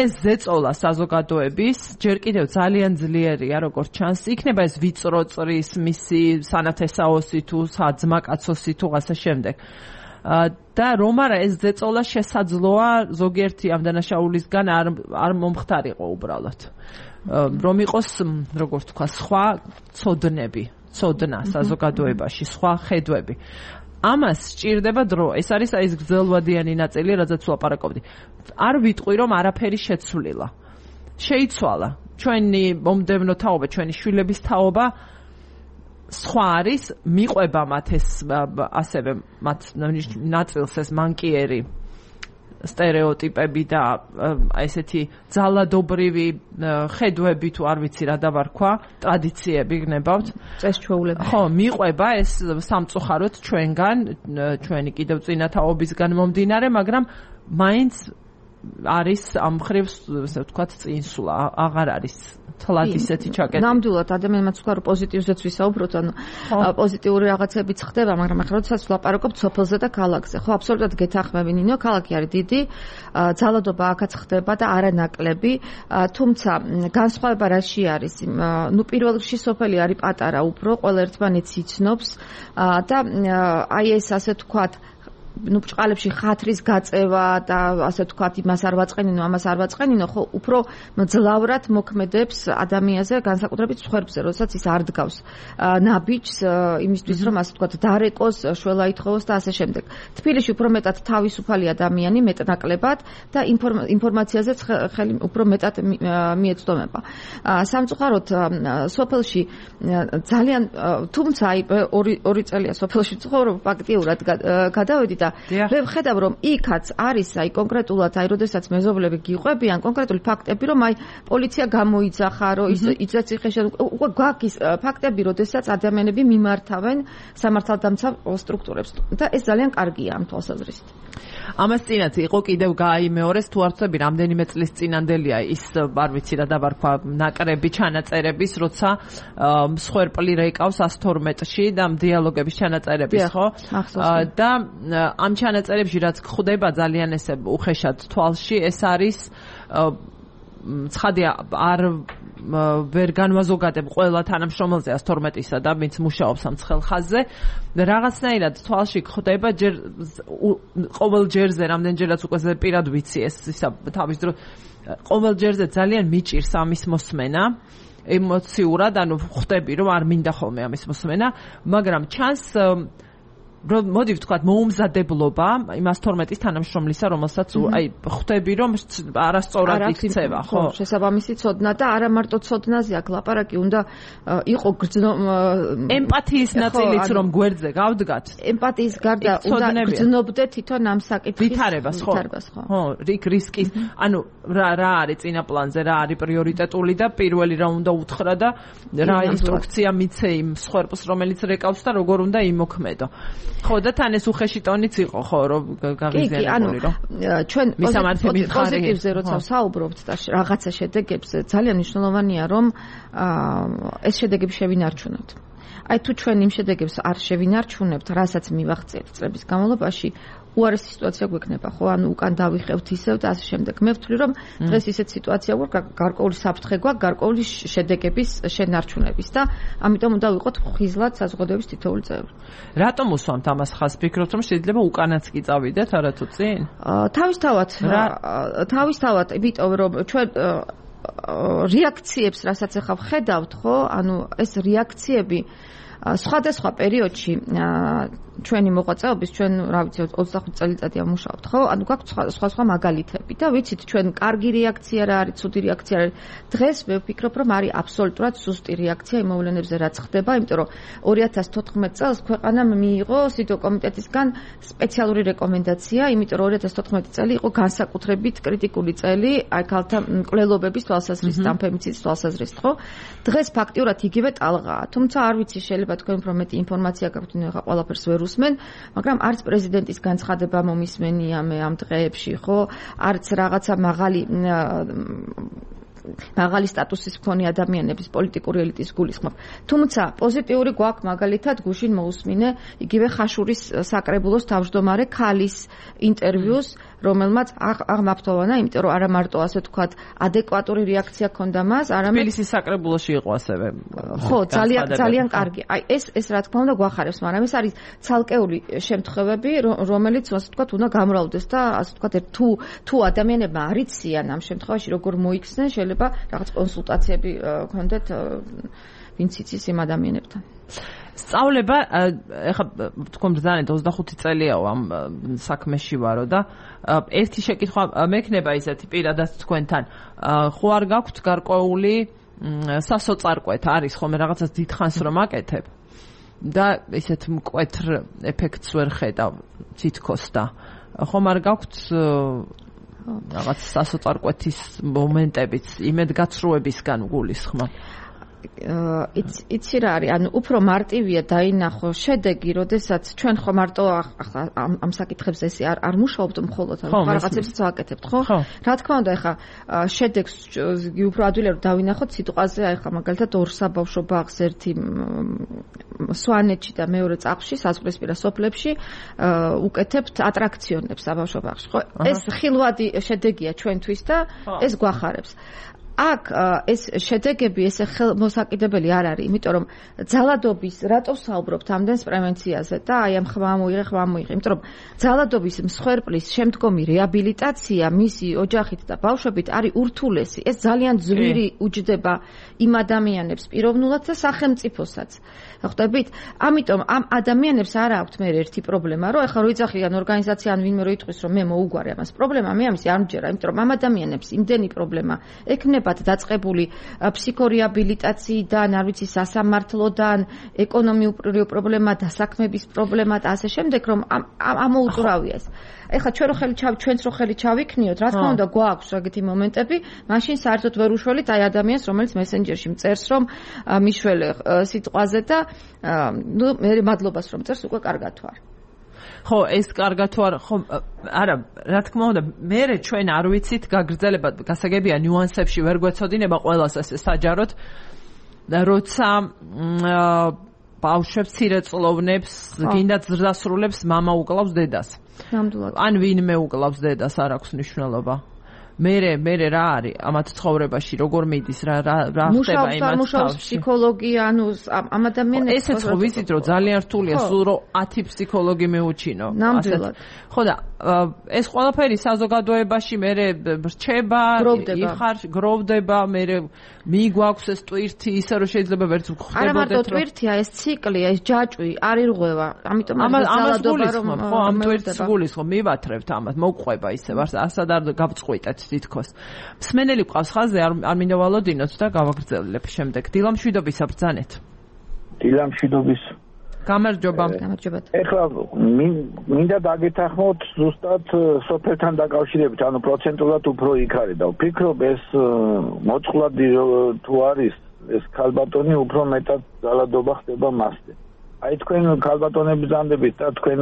Speaker 1: ეს ზეწოლა საზოგადოების ჯერ კიდევ ძალიან ძლიერია როგორც ჩანს იქნება ეს ვიწრო წრის მისი სანათესაოსი თუ საძმაკაცოსი თუ ასე შემდეგ და რომ არა ეს ზეწოლა შესაძლოა ზოგიერთი ამ დანაშაულისგან არ არ მომხდარიყო უბრალოდ რომ იყოს როგორც თქვა სხვა ცოდნები, ცოდნა საზოგადოებაში, სხვა ხედვები. ამას სჭირდება დრო. ეს არის აი ეს გრძელვადიანი ნაწილი, რაზეც ვაპარაკობდი. არ ვიტყვი რომ არაფერი შეცვლილა. შეიცვალა. ჩვენი მომდევნო თაობა, ჩვენი შვილების თაობა სხვა არის, მიყვება მათ ეს ასევე მათ ნაწილს ეს მანკიერი სტერეოტიპები და ესეთი ძალადობრივი ხედვები თუ არ ვიცი რა დავარქვა, ტრადიციები გნებავთ.
Speaker 2: წესჩვეულები.
Speaker 1: ხო, მიყვება ეს სამწუხაროდ ჩვენგან, ჩვენი კიდევ წინათაობისგან მომდინარე, მაგრამ მაინც არის ამ ხრივ, ასე ვთქვათ, წინსვლა, აღარ არის თლად ისეთი ჩაკეტილი.
Speaker 2: ნამდვილად ადამიანმა თქვა რომ პოზიტივზეც ვისაუბროთ, ანუ პოზიტიური რაღაცებიც ხდება, მაგრამ ახლა როდესაც ვლაპარაკობთ სოფელზე და ქალაქზე, ხო, აბსოლუტურად გეთანხმები ნინო, ქალაქი არის დიდი, ძალადობა აქაც ხდება და არანაკლები, თუმცა განსხვავება რაში არის? ნუ პირველ რიგში სოფელი არის პატარა უფრო, ყველა ერთმანეთს იცნობს და აი ეს ასე ვთქვათ ნუ ბრჭყალებში ხათრის გაწევა და ასე ვთქვათ, იმას არ ვაწყენინო, ამას არ ვაწყენინო, ხო, უფრო მძლავრად მოქმედებს ადამიანზე, განსაკუთრებით სხვერბზე, როდესაც ის არ დგავს ნაბიჯს იმისთვის, რომ ასე ვთქვათ, დარეკოს, შველა ითხოვოს და ასე შემდეგ. თბილისში უფრო მეტად თავისუფალი ადამიანი, მეტნაკლებად და ინფორმაციაზე ხელი უფრო მეტად მიეწვდომება. სამწუხაროდ სოფელში ძალიან თუმცა აი ორი ორი წელია სოფელში ცხოვრობ ფაქტიურად გადავედი და მე ვხედავ რომ იქაც არის აი კონკრეტულად აი როდესაც მეზობლები გიყვებიან კონკრეტული ფაქტები რომ აი პოლიცია გამოიძახა რომ ის იცეციხეში უკვე გვაქვს ფაქტები როდესაც ადამიანები მიმართავენ სამართალდამცავ სტრუქტურებს და ეს ძალიან კარგია ამ თვალსაზრისით.
Speaker 1: ამას წინათ იყო კიდევ გააიმეორეს თუ არ ვწები რამდენიმე წლის წინანდელია ის არ ვიცი რა დაბარქვა ნაკრები ჩანაწერების როცა მსხვერპლი რეკავს ას თორმეტში და დიალოგების ჩანაწერების ხო და ამ ჩანაწერებში რაც გვხვდება ძალიან ესე უხეშად თვალში ეს არის ცხადია არ ვერ განვაზოგადებ ყველა თანამშრომელზე ას თორმეტისა და ვინც მუშაობს ამ ცხელ ხაზზე რაღაცნაირად თვალში გვხვდება ჯერ ყოველ ჯერზე რამდენჯერაც უკვე პირად ვიცი ეს ისა თავის დრო ყოველ ჯერზე ძალიან მიჭირს ამის მოსმენა ემოციურად ანუ ხვდები რომ არ მინდა ხოლმე ამის მოსმენა მაგრამ ჩანს რომ მოდი ვთქვათ მოუმზადებლობა იმას თორმეტის თანამშრომლისა რომელსაც აი ხვდები რომ არასწორად იქცევა ხო
Speaker 2: შესაბამისი ცოდნა და არა მარტო ცოდნაზე აქ ლაპარაკი უნდა იყო გრძნო
Speaker 1: ემპათიის ნაწილიც რომ გვერდზე გავდგათ
Speaker 2: ემპათიის გარდა უნდა გრძნობდე თვითონ ამ საკითხის
Speaker 1: ვითარებას ხო ხო რიგ რისკის ანუ რა რა არის წინა პლანზე რა არის პრიორიტეტული და პირველი რა უნდა უთხრა და რა ინსტრუქცია მიცე იმ სხვერპლს რომელიც რეკავს და როგორ უნდა იმოქმედო ხო და თან ეს უხეში ტონიც იყო ხო რომ გაღიზიანებული რომ
Speaker 2: ჩვენ პოზიტივზე როცა ვსაუბრობთ და რაღაცა შედეგებზე ძალიან მნიშვნელოვანია რომ ეს შედეგები შევინარჩუნოთ. აი თუ ჩვენ იმ შედეგებს არ შევინარჩუნებთ, რასაც მივახციეთ წლების განმავლობაში, უარესი სიტუაცია გვექნება, ხო? ანუ უკან დავიხევთ ისევ და ასე შემდეგ. მე ვთვლი რომ დღეს ისეთ სიტუაცია გვაქვს, გარკვეული საფრთხე გვაქვს, გარკვეული შედეგების შენარჩუნების და ამიტომ უნდა ვიყოთ ხიზლად საზოგადოების თითოეული წევრი.
Speaker 1: რატომ უსვამთ ამას ხაზს? ფიქრობთ რომ შეიძლება უკანაც კი წავიდეთ, არა თუ წინ?
Speaker 2: თავისთავად, თავისთავად, იმიტომ რომ ჩვენ რეაქციებს, რასაც ახლა ვხედავთ, ხო? ანუ ეს რეაქციები სხვადასხვა პერიოდში ჩვენი მოღვაწეობის ჩვენ რა ვიცი ოცდახუთი წელიწადია მუშაობთ ხო ანუ გვაქვს სხვა სხვა მაგალითები და ვიცით ჩვენ კარგი რეაქცია რა არის ცუდი რეაქცია რა არის დღეს მე ვფიქრობ რომ არის აბსოლუტურად სუსტი რეაქცია იმ მოვლენებზე რაც ხდება იმიტომ რომ ორი ათას თოთხმეტ წელს ქვეყანამ მიიღო სიტო კომიტეტისგან სპეციალური რეკომენდაცია იმიტომ რომ ორი ათას თოთხმეტი წელი იყო განსაკუთრებით კრიტიკული წელი აი ქალთა მკვლელობების თვალსაზრისით და ფემიციდების თვალსაზრისით ხო დღეს ფაქტიურად იგივე ტალღაა თუმცა არ ვიცი შეიძლება თქვენ უფრო მეტი ინფორმაცია გაქვთ ნახა ყველაფერს ვერ უსმენ, მაგრამ არც პრეზიდენტის განცხადება მომისმენია მე ამ დღეებში, ხო? არც რაღაცა მაღალი მაღალი სტატუსის მქონე ადამიანების პოლიტიკური ელიტის გულისხმობ. თუმცა პოზიტიური გვაქვს მაგალითად გუშინ მოусმინე იგივე ხაშურის საკრებულოს თავმჯდომარე ქალის ინტერვიუს, რომელმაც აღმაფრთოვანა, იმიტომ რომ არა მარტო ასე ვთქვათ, ადეკვატური რეაქცია ჰქონდა მას, არამედ
Speaker 1: თბილისის საკრებულოში იყო ასევე.
Speaker 2: ხო, ძალიან ძალიან კარგი. აი ეს ეს რა თქმა უნდა გვახარებს, მაგრამ ეს არის ცალკეული შემთხვევები, რომელიც ასე ვთქვათ, უნდა გამრავლდეს და ასე ვთქვათ, თუ თუ ადამიანებმა არ იციან ამ შემთხვევაში როგორ მოიქცნენ, შეიძლება რაღაც კონსულტაციები გქონდეთ ვინც იცის იმ ადამიანებთან.
Speaker 1: სწავლება ეხლა თქვენ ბრძანეთ ოცდახუთი წელიაო ამ საქმეში ვარო და ერთი შეკითხვა მექნება ისეთი პირადად თქვენთან ხო არ გაქვთ გარკვეული სასოწარკვეთ არის ხოლმე რაღაცას დიდხანს რომ აკეთებ და ისეთ მკვეთრ ეფექტს ვერ ხედავ თითქოს და ხომ არ გაქვთ რაღაც სასოწარკვეთის მომენტებიც იმედგაცრუებისგან გულისხმა
Speaker 2: იცი რა არის, ანუ უფრო მარტივია დაინახო შედეგი, როდესაც ჩვენ ხო მარტო ახლა ამ საკითხებზე ესე არ არ მუშაობთ მხოლოდ, ანუ რაღაცებსაც ვაკეთებთ, ხო? რა თქმა უნდა, ახლა შედეგს უფრო ადვილია რომ დავინახოთ სიტყვაზე, ახლა მაგალითად ორ საბავშვო ბაღს ერთი სვანეთში და მეორე წახში, საზღვრისპირა სოფლებში უკეთებთ ატრაქციონებს საბავშვო ბაღში, ხო? ეს ხილვადი შედეგია ჩვენთვის და ეს გვახარებს. აქ ეს შედეგები ესე ხელმოსაკიდებელი არ არის, იმიტომ რომ ძალადობის რატო საუბრობთ ამდენს პრევენციაზე და აი ამ ხმა მოიღე, ხმა მოიღე, იმიტომ რომ ძალადობის მსხვერპლის შემდგომი რეაბილიტაცია მისი ოჯახით და ბავშვებით არის ურთულესი. ეს ძალიან ძვირი უჯდება იმ ადამიანებს პიროვნულად და სახელმწიფოსაც. ხვდებით? ამიტომ ამ ადამიანებს არ აქვთ მე ერთი პრობლემა, რომ ეხლა რო იძახიან ორგანიზაცია ან ვინმე რო იტყვის, რომ მე მოუგვარი ამას პრობლემა, მე ამის არ მჯერა, იმიტომ რომ ამ ადამიანებს იმდენი პრობლემა ექნებათ დაწყებული ფსიქორეაბილიტაციიდან, არ ვიცი, სასამართლოდან, ეკონომიური პრობლემა, დასაქმების პრობლემა და ასე შემდეგ, რომ ამოუწურავია ეს. ეხლა ჩვენ რო ხელი ჩავ ჩვენც რო ხელი ჩავიქნიოთ, რა თქმა უნდა, გვაქვს ეგეთი მომენტები, მაშინ საერთოდ ვერ უშველით აი ადამიანს, რომელიც მესენჯერში მწერს, რომ მიშველე სიტყვაზე და ნუ მე მადლობას რომ წერს, უკვე კარგად თუ არ.
Speaker 1: ხო, ეს კარგად თუ არ, ხო, არა, რა თქმა უნდა, მე ჩვენ არ ვიცით გაგრძელება, გასაგებია ნიუანსებში ვერ გვეცოდინება ყველას ესე საჯაროდ, როცა ბავშვებს ცირეწლოვნებს, გინდათ ზრდასრულებს მამა უკლავს დედას.
Speaker 2: ნამდვილად.
Speaker 1: ან ვინმე უკლავს დედას, არ აქვს მნიშვნელობა. მერე მერე რა არის ამათ ცხოვრებაში როგორ მიდის რა რა რა ხდება იმათ
Speaker 2: მუშაობს ფსიქოლოგია ანუ ამ ადამიანებს
Speaker 1: ესეც ხო ვიცით რომ ძალიან რთულია სულ რომ ათი ფსიქოლოგი მეუჩინო
Speaker 2: ნამდვილად
Speaker 1: ხო და ეს ყველაფერი საზოგადოებაში მერე რჩება იხარ გროვდება მერე მიგვაქვს ეს ტვირთი ისე რომ შეიძლება ვერც ვხვდებოდეთ
Speaker 2: არა მარტო ტვირთია ეს ციკლია ეს ჯაჭვი არ ირღვევა ამიტომ არის ძალადობა რომ
Speaker 1: ხო ამ ტვირთს გულის ხო მივათრევთ ამათ მოგყვება ისე ვარ ასად არ გავწყვიტეთ თითქოს მსმენელი ყავს ხაზზე არ არ მინდა ვალოდინოთ და გავაგრძელებ შემდეგ დილამშვიდობისა ბრძანეთ
Speaker 4: დილამშვიდობის
Speaker 1: გამარჯობა
Speaker 2: გამარჯობა
Speaker 4: ეხლა მინდა დაგეთანხმოთ ზუსტად სოფელთან დაკავშირებით ანუ პროცენტულად უფრო იქ არის და ვფიქრობ ეს მოწყვლადი თუ არის ეს ქალბატონი უფრო მეტად ძალადობა ხდება მასზე აი თქვენ ქალბატონები ბრძანდებით და თქვენ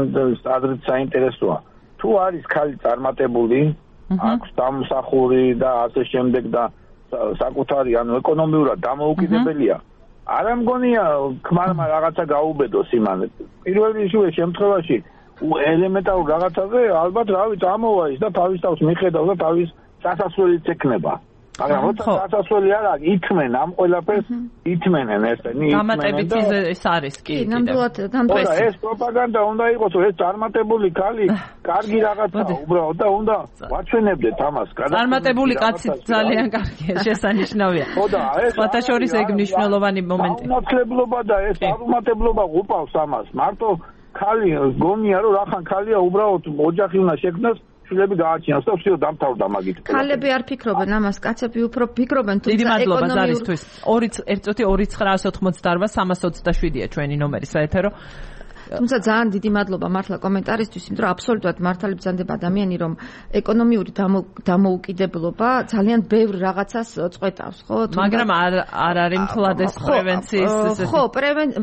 Speaker 4: ადრეთ საინტერესოა თუ არის ქალი წარმატებული აქვს დამსახური და ასე შემდეგ და საკუთარი ანუ ეკონომიურად დამოუკიდებელია არა მგონია ქმარმა რაღაცა გაუბედოს იმან პირველ რიგში შემთხვევაში ელემენტარულ რაღაცაზე ალბათ რავი წამოვა ის და თავის თავს მიხედავს და თავის სასასვლელიც ეკნება მაგრამ როცა სასასვლელი არ აქვს ითმენ ამ ყველაფერს ითმენენ ესენი
Speaker 1: დამატებით ეს არის კი
Speaker 2: ნამდვილად დამტვეს
Speaker 4: ეს პროპაგანდა უნდა იყოს ეს წარმატებული ქალი კარგი რაღაცა უბრალოდ და უნდა ვაჩვენებდეთ ამას
Speaker 1: წარმატებული კაცი ძალიან კარგია შესანიშნავია
Speaker 4: ხო და ეს
Speaker 1: ფათაშორის ეგ მნიშვნელოვანი მომენტი
Speaker 4: ნაცლებლობა და ეს არუმატებლობა უყავს ამას მარტო ქალი გონია რომ რახან ქალია უბრალოდ ოჯახი უნდა შექმნას შვილები გააჩინოს და всё დამთავრდა მაგით.
Speaker 2: ქალები არ ფიქრობენ ამას, კაცები უფრო ფიქრობენ
Speaker 1: თუმცა ეკონომიურად ორი ერთ წუთი ორი ცხრაას ოცდაოთხ სამას ოცდაშვიდია ჩვენი ნომერი საეთერო.
Speaker 2: თუმცა ძალიან დიდი მადლობა მართლა კომენტარისთვის, იმიტომ რომ აბსოლუტურად მართალი ბრძანდება ადამიანი, რომ ეკონომიური დამოუკიდებლობა ძალიან ბევრ რაღაცას წყვეტავს, ხო?
Speaker 1: მაგრამ არ არ არის მთლად ეს პრევენციის
Speaker 2: ხო,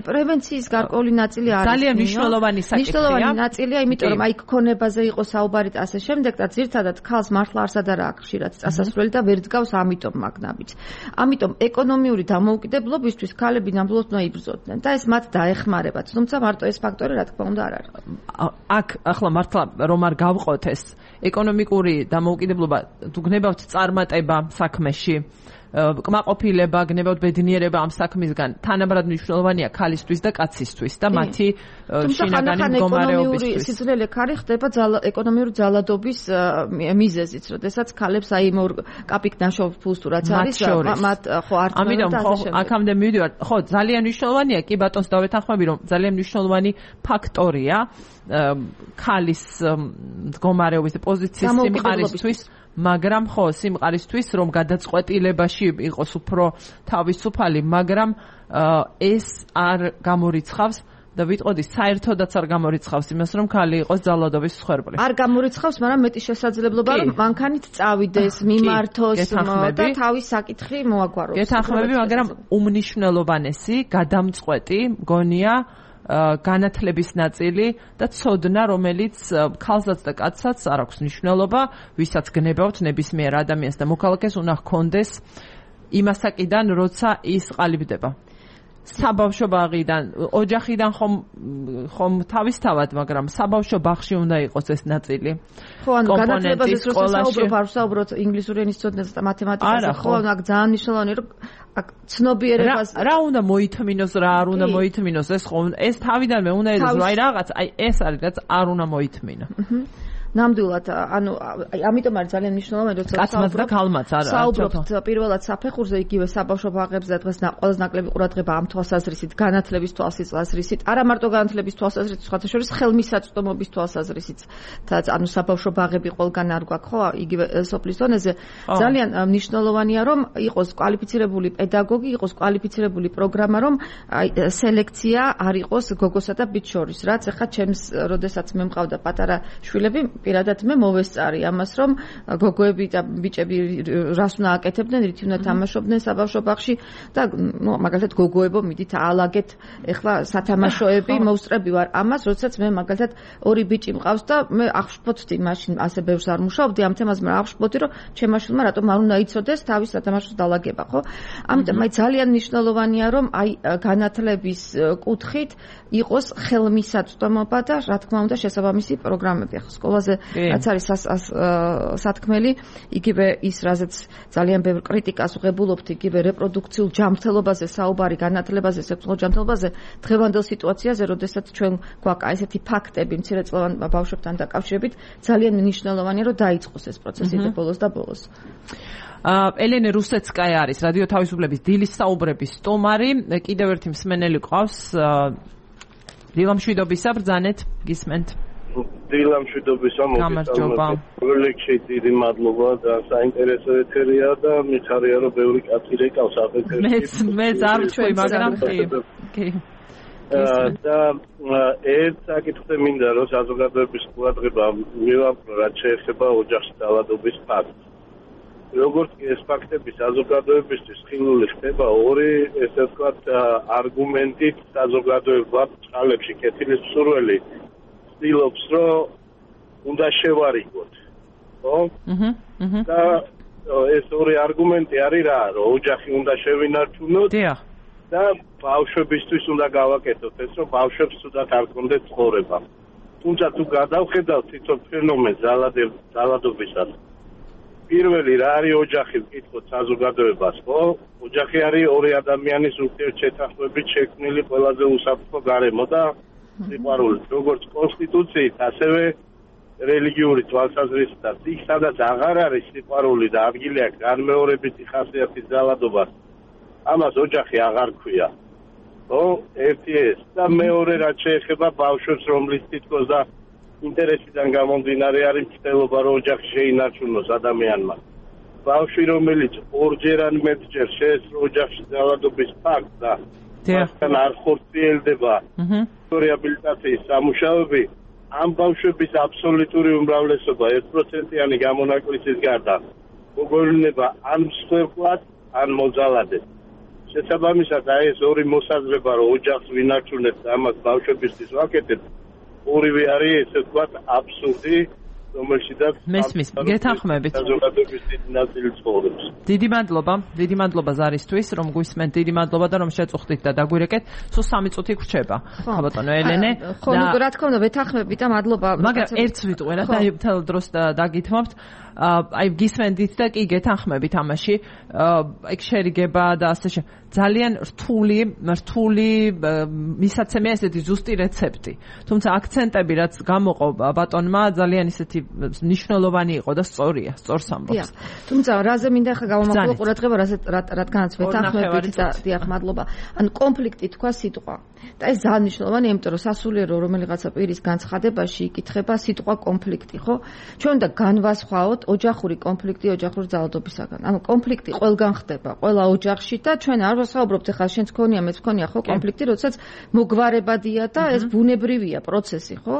Speaker 2: პრევენციის გარკვეული ნაწილი არის.
Speaker 1: ძალიან მნიშვნელოვანი საკითხია.
Speaker 2: მნიშვნელოვანი ნაწილია, იმიტომ რომ აი ქონებაზე იყო საუბარი და ასე შემდეგ და ძირთადად ქალს მართლა არსად არ აქვს ხშირად წასასვლელი და ვერ დგავს ამიტომ მაგნაბიც. ამიტომ ეკონომიური დამოუკიდებლობისთვის ქალები ნამდვილად უნდა იბრძოდნენ და ეს მათ დაეხმარებათ. თუმცა მარტო ეს ფაქტორი რა თქმა უნდა არ არის.
Speaker 1: აქ ახლა მართლა რომ არ გავყოთ ეს ეკონომიკური დამოუკიდებლობა თუ გნებავთ წარმატება საქმეში კმაყოფილება გნებავთ ბედნიერება ამ საქმისგან თანაბრად მნიშვნელოვანია ქალისთვის და კაცისთვის და მათი შინაგანი მდგომარეობისთვის
Speaker 2: სიძლელე ქარი ხდება ეკონომიური ძალადობის მიზეზით როდესაც ქალებს აი იმ კაპიკ ნაშოვ ფულს თუ რაც არის მათ ხო არ
Speaker 1: ამიტომ ხო აქამდე მივიდივარ ხო ძალიან მნიშვნელოვანია კი ბატონს დავეთანხმები რომ ძალიან მნიშვნელოვანი ფაქტორია ქალის მდგომარეობის და პოზიციის სიმყარისთვის მაგრამ ხო სიმყარისთვის რომ გადაწყვეტილებაში იყოს უფრო თავისუფალი მაგრამ ეს არ გამორიცხავს და ვიტყოდი საერთოდაც არ გამორიცხავს იმას რომ ქალი იყოს ძალადობის მსხვერპლი
Speaker 2: არ გამორიცხავს მაგრამ მეტი შესაძლებლობა რომ მანქანით წავიდეს მიმართოს და თავის საკითხი მოაგვაროს
Speaker 1: გეთანხმები მაგრამ უმნიშვნელოვანესი გადამწყვეტი მგონია განათლების ნაწილი და ცოდნა, რომელიც ქალსაც და კაცსაც არ აქვს მნიშვნელობა, ვისაც გნებავთ ნებისმიერ ადამიანს და მოქალაქეს უნდა ჰქონდეს იმასაკიდან, როცა ის ყალიბდება. საბავშვო ბაღიდან, ოჯახიდან ხომ ხომ თავისთავად, მაგრამ საბავშვო ბაღში უნდა იყოს ეს ნაწილი.
Speaker 2: ხო, ანუ განათლებაზე საუბრობ, არ ვსაუბრობ ინგლისური ენის ცოდნაზე და მათემატიკაზე, ხო, ანუ აქ ძალიან მნიშვნელოვანია, რომ აქ ცნობიერებას
Speaker 1: რა უნდა მოითმინოს, რა არ უნდა მოითმინოს, ეს ხო, ეს თავიდანვე უნდა იყოს, აი რაღაც, აი ეს არის რაც არ უნდა მოითმინა.
Speaker 2: ნამდვილად, ანუ ამიტომ არის ძალიან მნიშვნელოვანი, როცა
Speaker 1: კაცმაც და ქალმაც არა.
Speaker 2: საუბრობთ პირველად საფეხურზე, იგივე საბავშვო ბაღებზე და დღეს ყველაზე ნაკლები ყურადღება ამ თვალსაზრისით, განათლების თვალსაზრისით, არა მარტო განათლების თვალსაზრისით, სხვათა შორის ხელმისაწვდომობის თვალსაზრისით, ანუ საბავშვო ბაღები ყველგან არ გვაქვს, ხო, იგივე სოფლის დონეზე. ძალიან მნიშვნელოვანია, რომ იყოს კვალიფიცირებული პედაგოგი, იყოს კვალიფიცირებული პროგრამა, რომ სელექცია არ იყოს გოგოსა და ბიჭს შორის, რაც ახლა ჩემს, როდესაც მე მყავდა პატარა შვილები, პირადად მე მოვესწარი ამას, რომ გოგოები და ბიჭები რას უნდა აკეთებდნენ, რითი უნდა თამაშობდნენ საბავშვო ბაღში და ნუ მაგალითად გოგოებო მიდით აალაგეთ ეხლა სათამაშოები, მოვსწრები ვარ ამას, როდესაც მე მაგალითად ორი ბიჭი მყავს და მე აღშფოთდი მაშინ ასე ბევრს არ მუშაობდი ამ თემაზე, მაგრამ აღშფოთდი, რომ ჩემმა შვილმა რატომ არ უნდა იცოდეს თავის სათამაშოს დალაგება, ხო? ამიტომ აი ძალიან მნიშვნელოვანია, რომ აი განათლების კუთხით იყოს ხელმისაწვდომობა და რა თქმა უნდა შესაბამისი პროგრამები. ახლა სკოლაზე რაც არის სათქმელი, იგივე ის, რაზეც ძალიან ბევრ კრიტიკას ვღებულობთ, იგივე რეპროდუქციულ ჯანმრთელობაზე, საუბარი განათლებაზე, სექსუალურ ჯანმრთელობაზე, დღევანდელ სიტუაციაზე, როდესაც ჩვენ გვაქვს ესეთი ფაქტები მცირეწლოვან ბავშვებთან დაკავშირებით, ძალიან მნიშვნელოვანია, რომ დაიწყოს ეს პროცესი და ბოლოს და ბოლოს.
Speaker 1: ელენე რუსეცკაია არის რადიო თავისუფლების დილის საუბრების სტუმარი, კიდევ ერთი მსმენელი ყავს. დილამშვიდობისა, ბრძანეთ, გისმენთ.
Speaker 5: დილამშვიდობისა,
Speaker 1: გამარჯობა.
Speaker 5: როლექსი დიდი მადლობა და საინტერესო ეთერია და მიხარია, რომ ბევრი კაცი რეკავს აფეთერში.
Speaker 1: მეც მეც არ ვჩვევი, მაგრამ კი. კი.
Speaker 5: და ერთ საკითხზე მინდა რომ საზოგადოების ყურადღება მივაპყრო, რაც შეეხება ოჯახში დაავადების ფაქტს. როგორც კი ეს ფაქტები საზოგადოებისთვის ხილული ხდება, ორი ესე ვთქვათ არგუმენტით საზოგადოება წყალებში კეთილის მსურველი ცდილობს, რომ უნდა შევარიგოთ. ხო?
Speaker 1: აჰა, აჰა.
Speaker 5: და ეს ორი არგუმენტი არის რა, რომ ოჯახი უნდა შევინარჩუნოთ.
Speaker 1: დიახ.
Speaker 5: და ბავშვებისთვის უნდა გავაკეთოთ ეს, რომ ბავშვებს თუდად არ კონდეთ ცხოვრება. თუმცა თუ გადავხედავთ თვითონ ფენომენს ძალადობისას, პირველი რა არის ოჯახი, ვკითხოთ საზოგადოებას, ხო? ოჯახი არის ორი ადამიანის ურთიერთშეთანხმებით შექმნილი ყველაზე უსაფრთხო გარემო და სიყვარული, როგორც კონსტიტუციით, ასევე რელიგიური თვალსაზრისითაც. იქ სადაც აღარ არის სიყვარული და ადგილი აქვს განმეორებითი ხასიათის ძალადობას, ამას ოჯახი აღარ ქვია. ხო? ერთი ეს და მეორე რაც შეეხება ბავშვებს, რომლის თითქოს და ინტერესიდან გამომდინარე არის მცდელობა, რომ ოჯახი შეინარჩუნოს ადამიანმა. ბავშვი, რომელიც ორჯერ ან მეტჯერ შეესწრო ოჯახში ძალადობის ფაქტს და მასთან არ ხორციელდება რეაბილიტაციის სამუშაოები, ამ ბავშვების აბსოლუტური უმრავლესობა ერთ პროცენტიანი გამონაკლისის გარდა მოგოვლინდება ან მსხვერპლად, ან მოძალადად. შესაბამისად, აი ეს ორი მოსაზრება, რომ ოჯახს ვინარჩუნებთ და ამას ბავშვებისთვის ვაკეთებთ, ორივე არის ესე ვთქვათ აბსურდი, რომელშიც
Speaker 1: მესმის, გეთანხმებით.
Speaker 5: საზოგადოების დიდი ნაწილი ცხოვრობს.
Speaker 1: დიდი მადლობა, დიდი მადლობა ზარისთვის, რომ გვისმენთ, დიდი მადლობა და რომ შეწუხდით და დაგვირეკეთ. სულ სამი წუთი გრჩება. ხო ბატონო ელენე.
Speaker 2: ხო, ნუ რა თქმა უნდა, ვეთანხმებით და მადლობა.
Speaker 1: მაგრამ ერთს ვიტყვე რა, და მთელ დროს დაგითმობთ. აი გისმენდით და კი გეთანხმებით ამაში. აი შერიგება და ასე შე ძალიან რთული, რთული მისაცემია ესეთი ზუსტი რეცეპტი. თუმცა აქცენტები რაც გამოყო ბატონმა ძალიან ისეთი მნიშვნელოვანი იყო და სწორია, სწორს ამბობს.
Speaker 2: თუმცა რაზე მინდა ახლა გავამახვილო ყურადღება, რადგანაც ვეთანხმებით და დიახ, მადლობა. ანუ კონფლიქტი თქვა სიტყვა. და ეს ძალიან მნიშვნელოვანია, იმიტომ რომ სასულიერო რომელიღაცა პირის განცხადებაში იკითხება სიტყვა კონფლიქტი, ხო? ჩვენ უნდა განვასხვაოთ ოჯახური კონფლიქტი ოჯახური ძალადობისაგან. ანუ კონფლიქტი ყველგან ხდება, ყველა ოჯახში და ჩვენ არ ვსაუბრობთ ახლა შენც ქონია, მეც ქონია, ხო, კონფლიქტი, როდესაც მოგვარებადია და ეს ბუნებრივია პროცესი, ხო?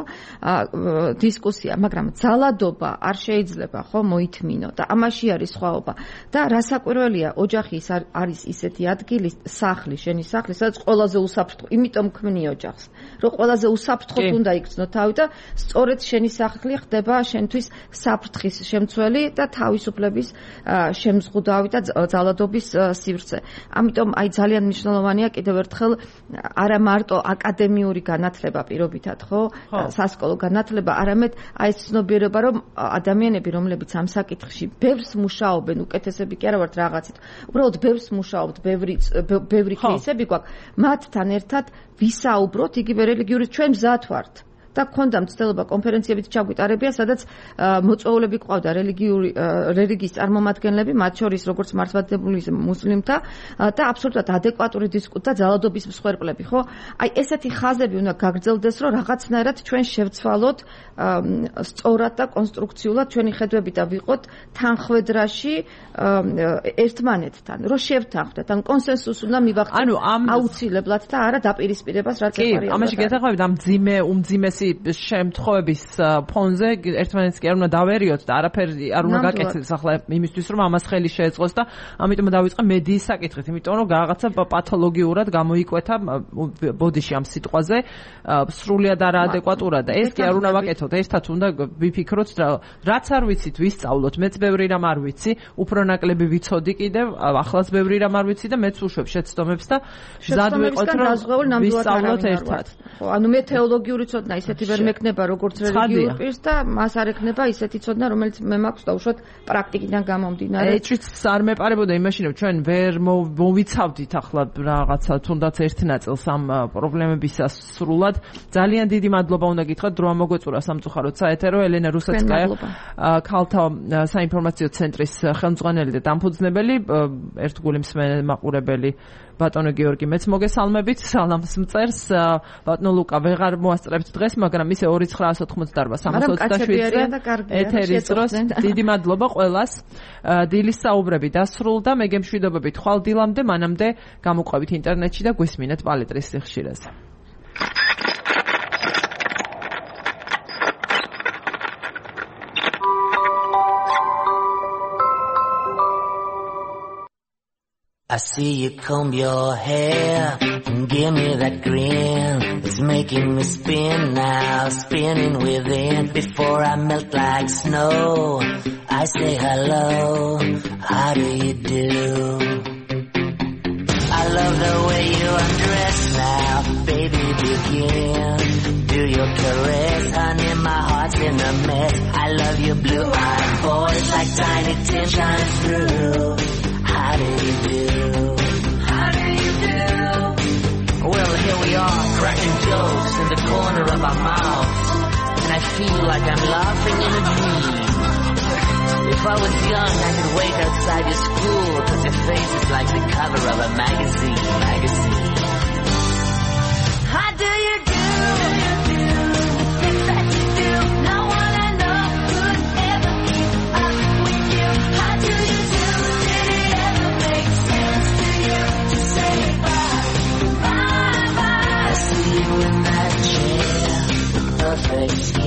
Speaker 2: დისკუსია, მაგრამ ძალადობა არ შეიძლება, ხო, მოითმინო და ამაში არის სხვაობა. და რასაკვირველია, ოჯახი არის ისეთი ადგილი, სახლი, შენი სახლი, სადაც ყველაზე უსაფრთხო, იმიტომ ქმნი ოჯახს, რომ ყველაზე უსაფრთხოდ უნდა იქცნო თავი და სწორედ შენი სახლი ხდება შენთვის საფრთხის შემცველი შემცველი და თავისუფლების შემზღუდავი და ძალადობის სივრცე. ამიტომ აი ძალიან მნიშვნელოვანია კიდევ ერთხელ არა მარტო აკადემიური განათლება პირობითად, ხო? სასკოლო განათლება, არამედ აი ეს ცნობიერება, რომ ადამიანები, რომლებიც ამ საკითხში ბევრს მუშაობენ, უკეთესები კი არა ვართ რაღაცით. უბრალოდ ბევრს მუშაობთ, ბევრი ბევრი кейსები გვაქვს, მათთან ერთად ვისაუბროთ იგივე რელიგიური ჩვენ მზად ვართ. და გქონდა მცდელობა კონფერენციებით ჩაგვიტარებია, სადაც მოწვეულები ყავდა რელიგიური რელიგიის წარმომადგენლები, მათ შორის როგორც მართლმადიდებლური მუსლიმთა და აბსოლუტურად ადეკვატური დისკუსია და ძალადობის მსხვერპლები, ხო? აი ესეთი ხაზები უნდა გაგრძელდეს, რომ რაღაცნაირად ჩვენ შევცვალოთ სწორად და კონსტრუქციულად ჩვენი ხედვები და ვიყოთ თანხwebdriverში ერთმანეთთან, რომ შევთანხმდეთ, ან კონსენსუსს უნდა მივახცეთ. ანუ აუცილებლად და არა დაპირისპირებას, რაც ეყარია.
Speaker 1: კი, ამაში გეთახმებით ამ ძიმე უმძიმესი შემთხვევების ფონზე ერთმანეთს კი არ უნდა დავერიოთ და არაფერი არ უნდა გაკეთდეს ახლა იმისთვის რომ ამას ხელი შეეწყოს და ამიტომ დავიწყე მედიის საკითხით, იმიტომ რომ რაღაცა პათოლოგიურად გამოიკვეთა ბოდიში ამ სიტყვაზე სრულიად არაადეკვატურად და ეს კი არ უნდა ვაკეთოთ, ერთად უნდა ვიფიქროთ რაც არ ვიცით ვისწავლოთ, მეც ბევრი რამ არ ვიცი, უფრო ნაკლები ვიცოდი კიდევ, ახლაც ბევრი რამ არ ვიცი და მეც უშვებ შეცდომებს და მზად ვიყოთ რომ ვისწავლოთ ერთად.
Speaker 2: ხო, ანუ მე თეოლოგიური ცოდნა ისეთი ვერ მექნება როგორც რელიგიურ პირს და მას არ ექნება ისეთი ცოდნა რომელიც მე მაქვს დაუშვათ პრაქტიკიდან გამომდინარე.
Speaker 1: ეჭვიც არ მეპარებოდა იმაში რომ ჩვენ ვერ მოვიცავდით ახლა რაღაცა თუნდაც ერთ ნაწილს ამ პრობლემებისას სრულად. ძალიან დიდი მადლობა უნდა გითხრათ დრო ამოგვეწურა სამწუხაროდ საეთერო ელენა რუსეცკაია ქალთა საინფორმაციო ცენტრის ხელმძღვანელი და დამფუძნებელი, ერთგული მსმენელი მაყურებელი ბატონო გიორგი მეც მოგესალმებით, სალამს მწერს ბატონო ლუკა ვეღარ მოასწრებთ დღეს, მაგრამ ისე ორი ცხრაას ოთხმოცდაარბა სამას ოცდაშვიდზე ეთერის დროს დიდი მადლობა ყველას. დილის საუბრები დასრულდა, მე გემშვიდობებით ხვალ დილამდე, მანამდე გამოყვებით ინტერნეტში და გვისმინეთ პალეტრის სიხშირეზე.
Speaker 6: I see you comb your hair and give me that grin. It's making me spin now, spinning within. Before I melt like snow, I say hello, how do you do? I love the way you undress now, baby begin. Do your caress, honey, my heart's in a mess. I love your blue-eyed boys like tiny tin shines through. How do you do? How do you do? Well, here we are, cracking jokes in the corner of our mouths, and I feel like I'm laughing in a dream. If I was young, I could wait outside your school, cause your face is like the cover of a magazine, magazine. How do you do? Things that you do, no one I know could ever keep up with you. How do you do? Did it ever make sense to you to say bye, bye, bye? I see you in that chair, the perfect skin.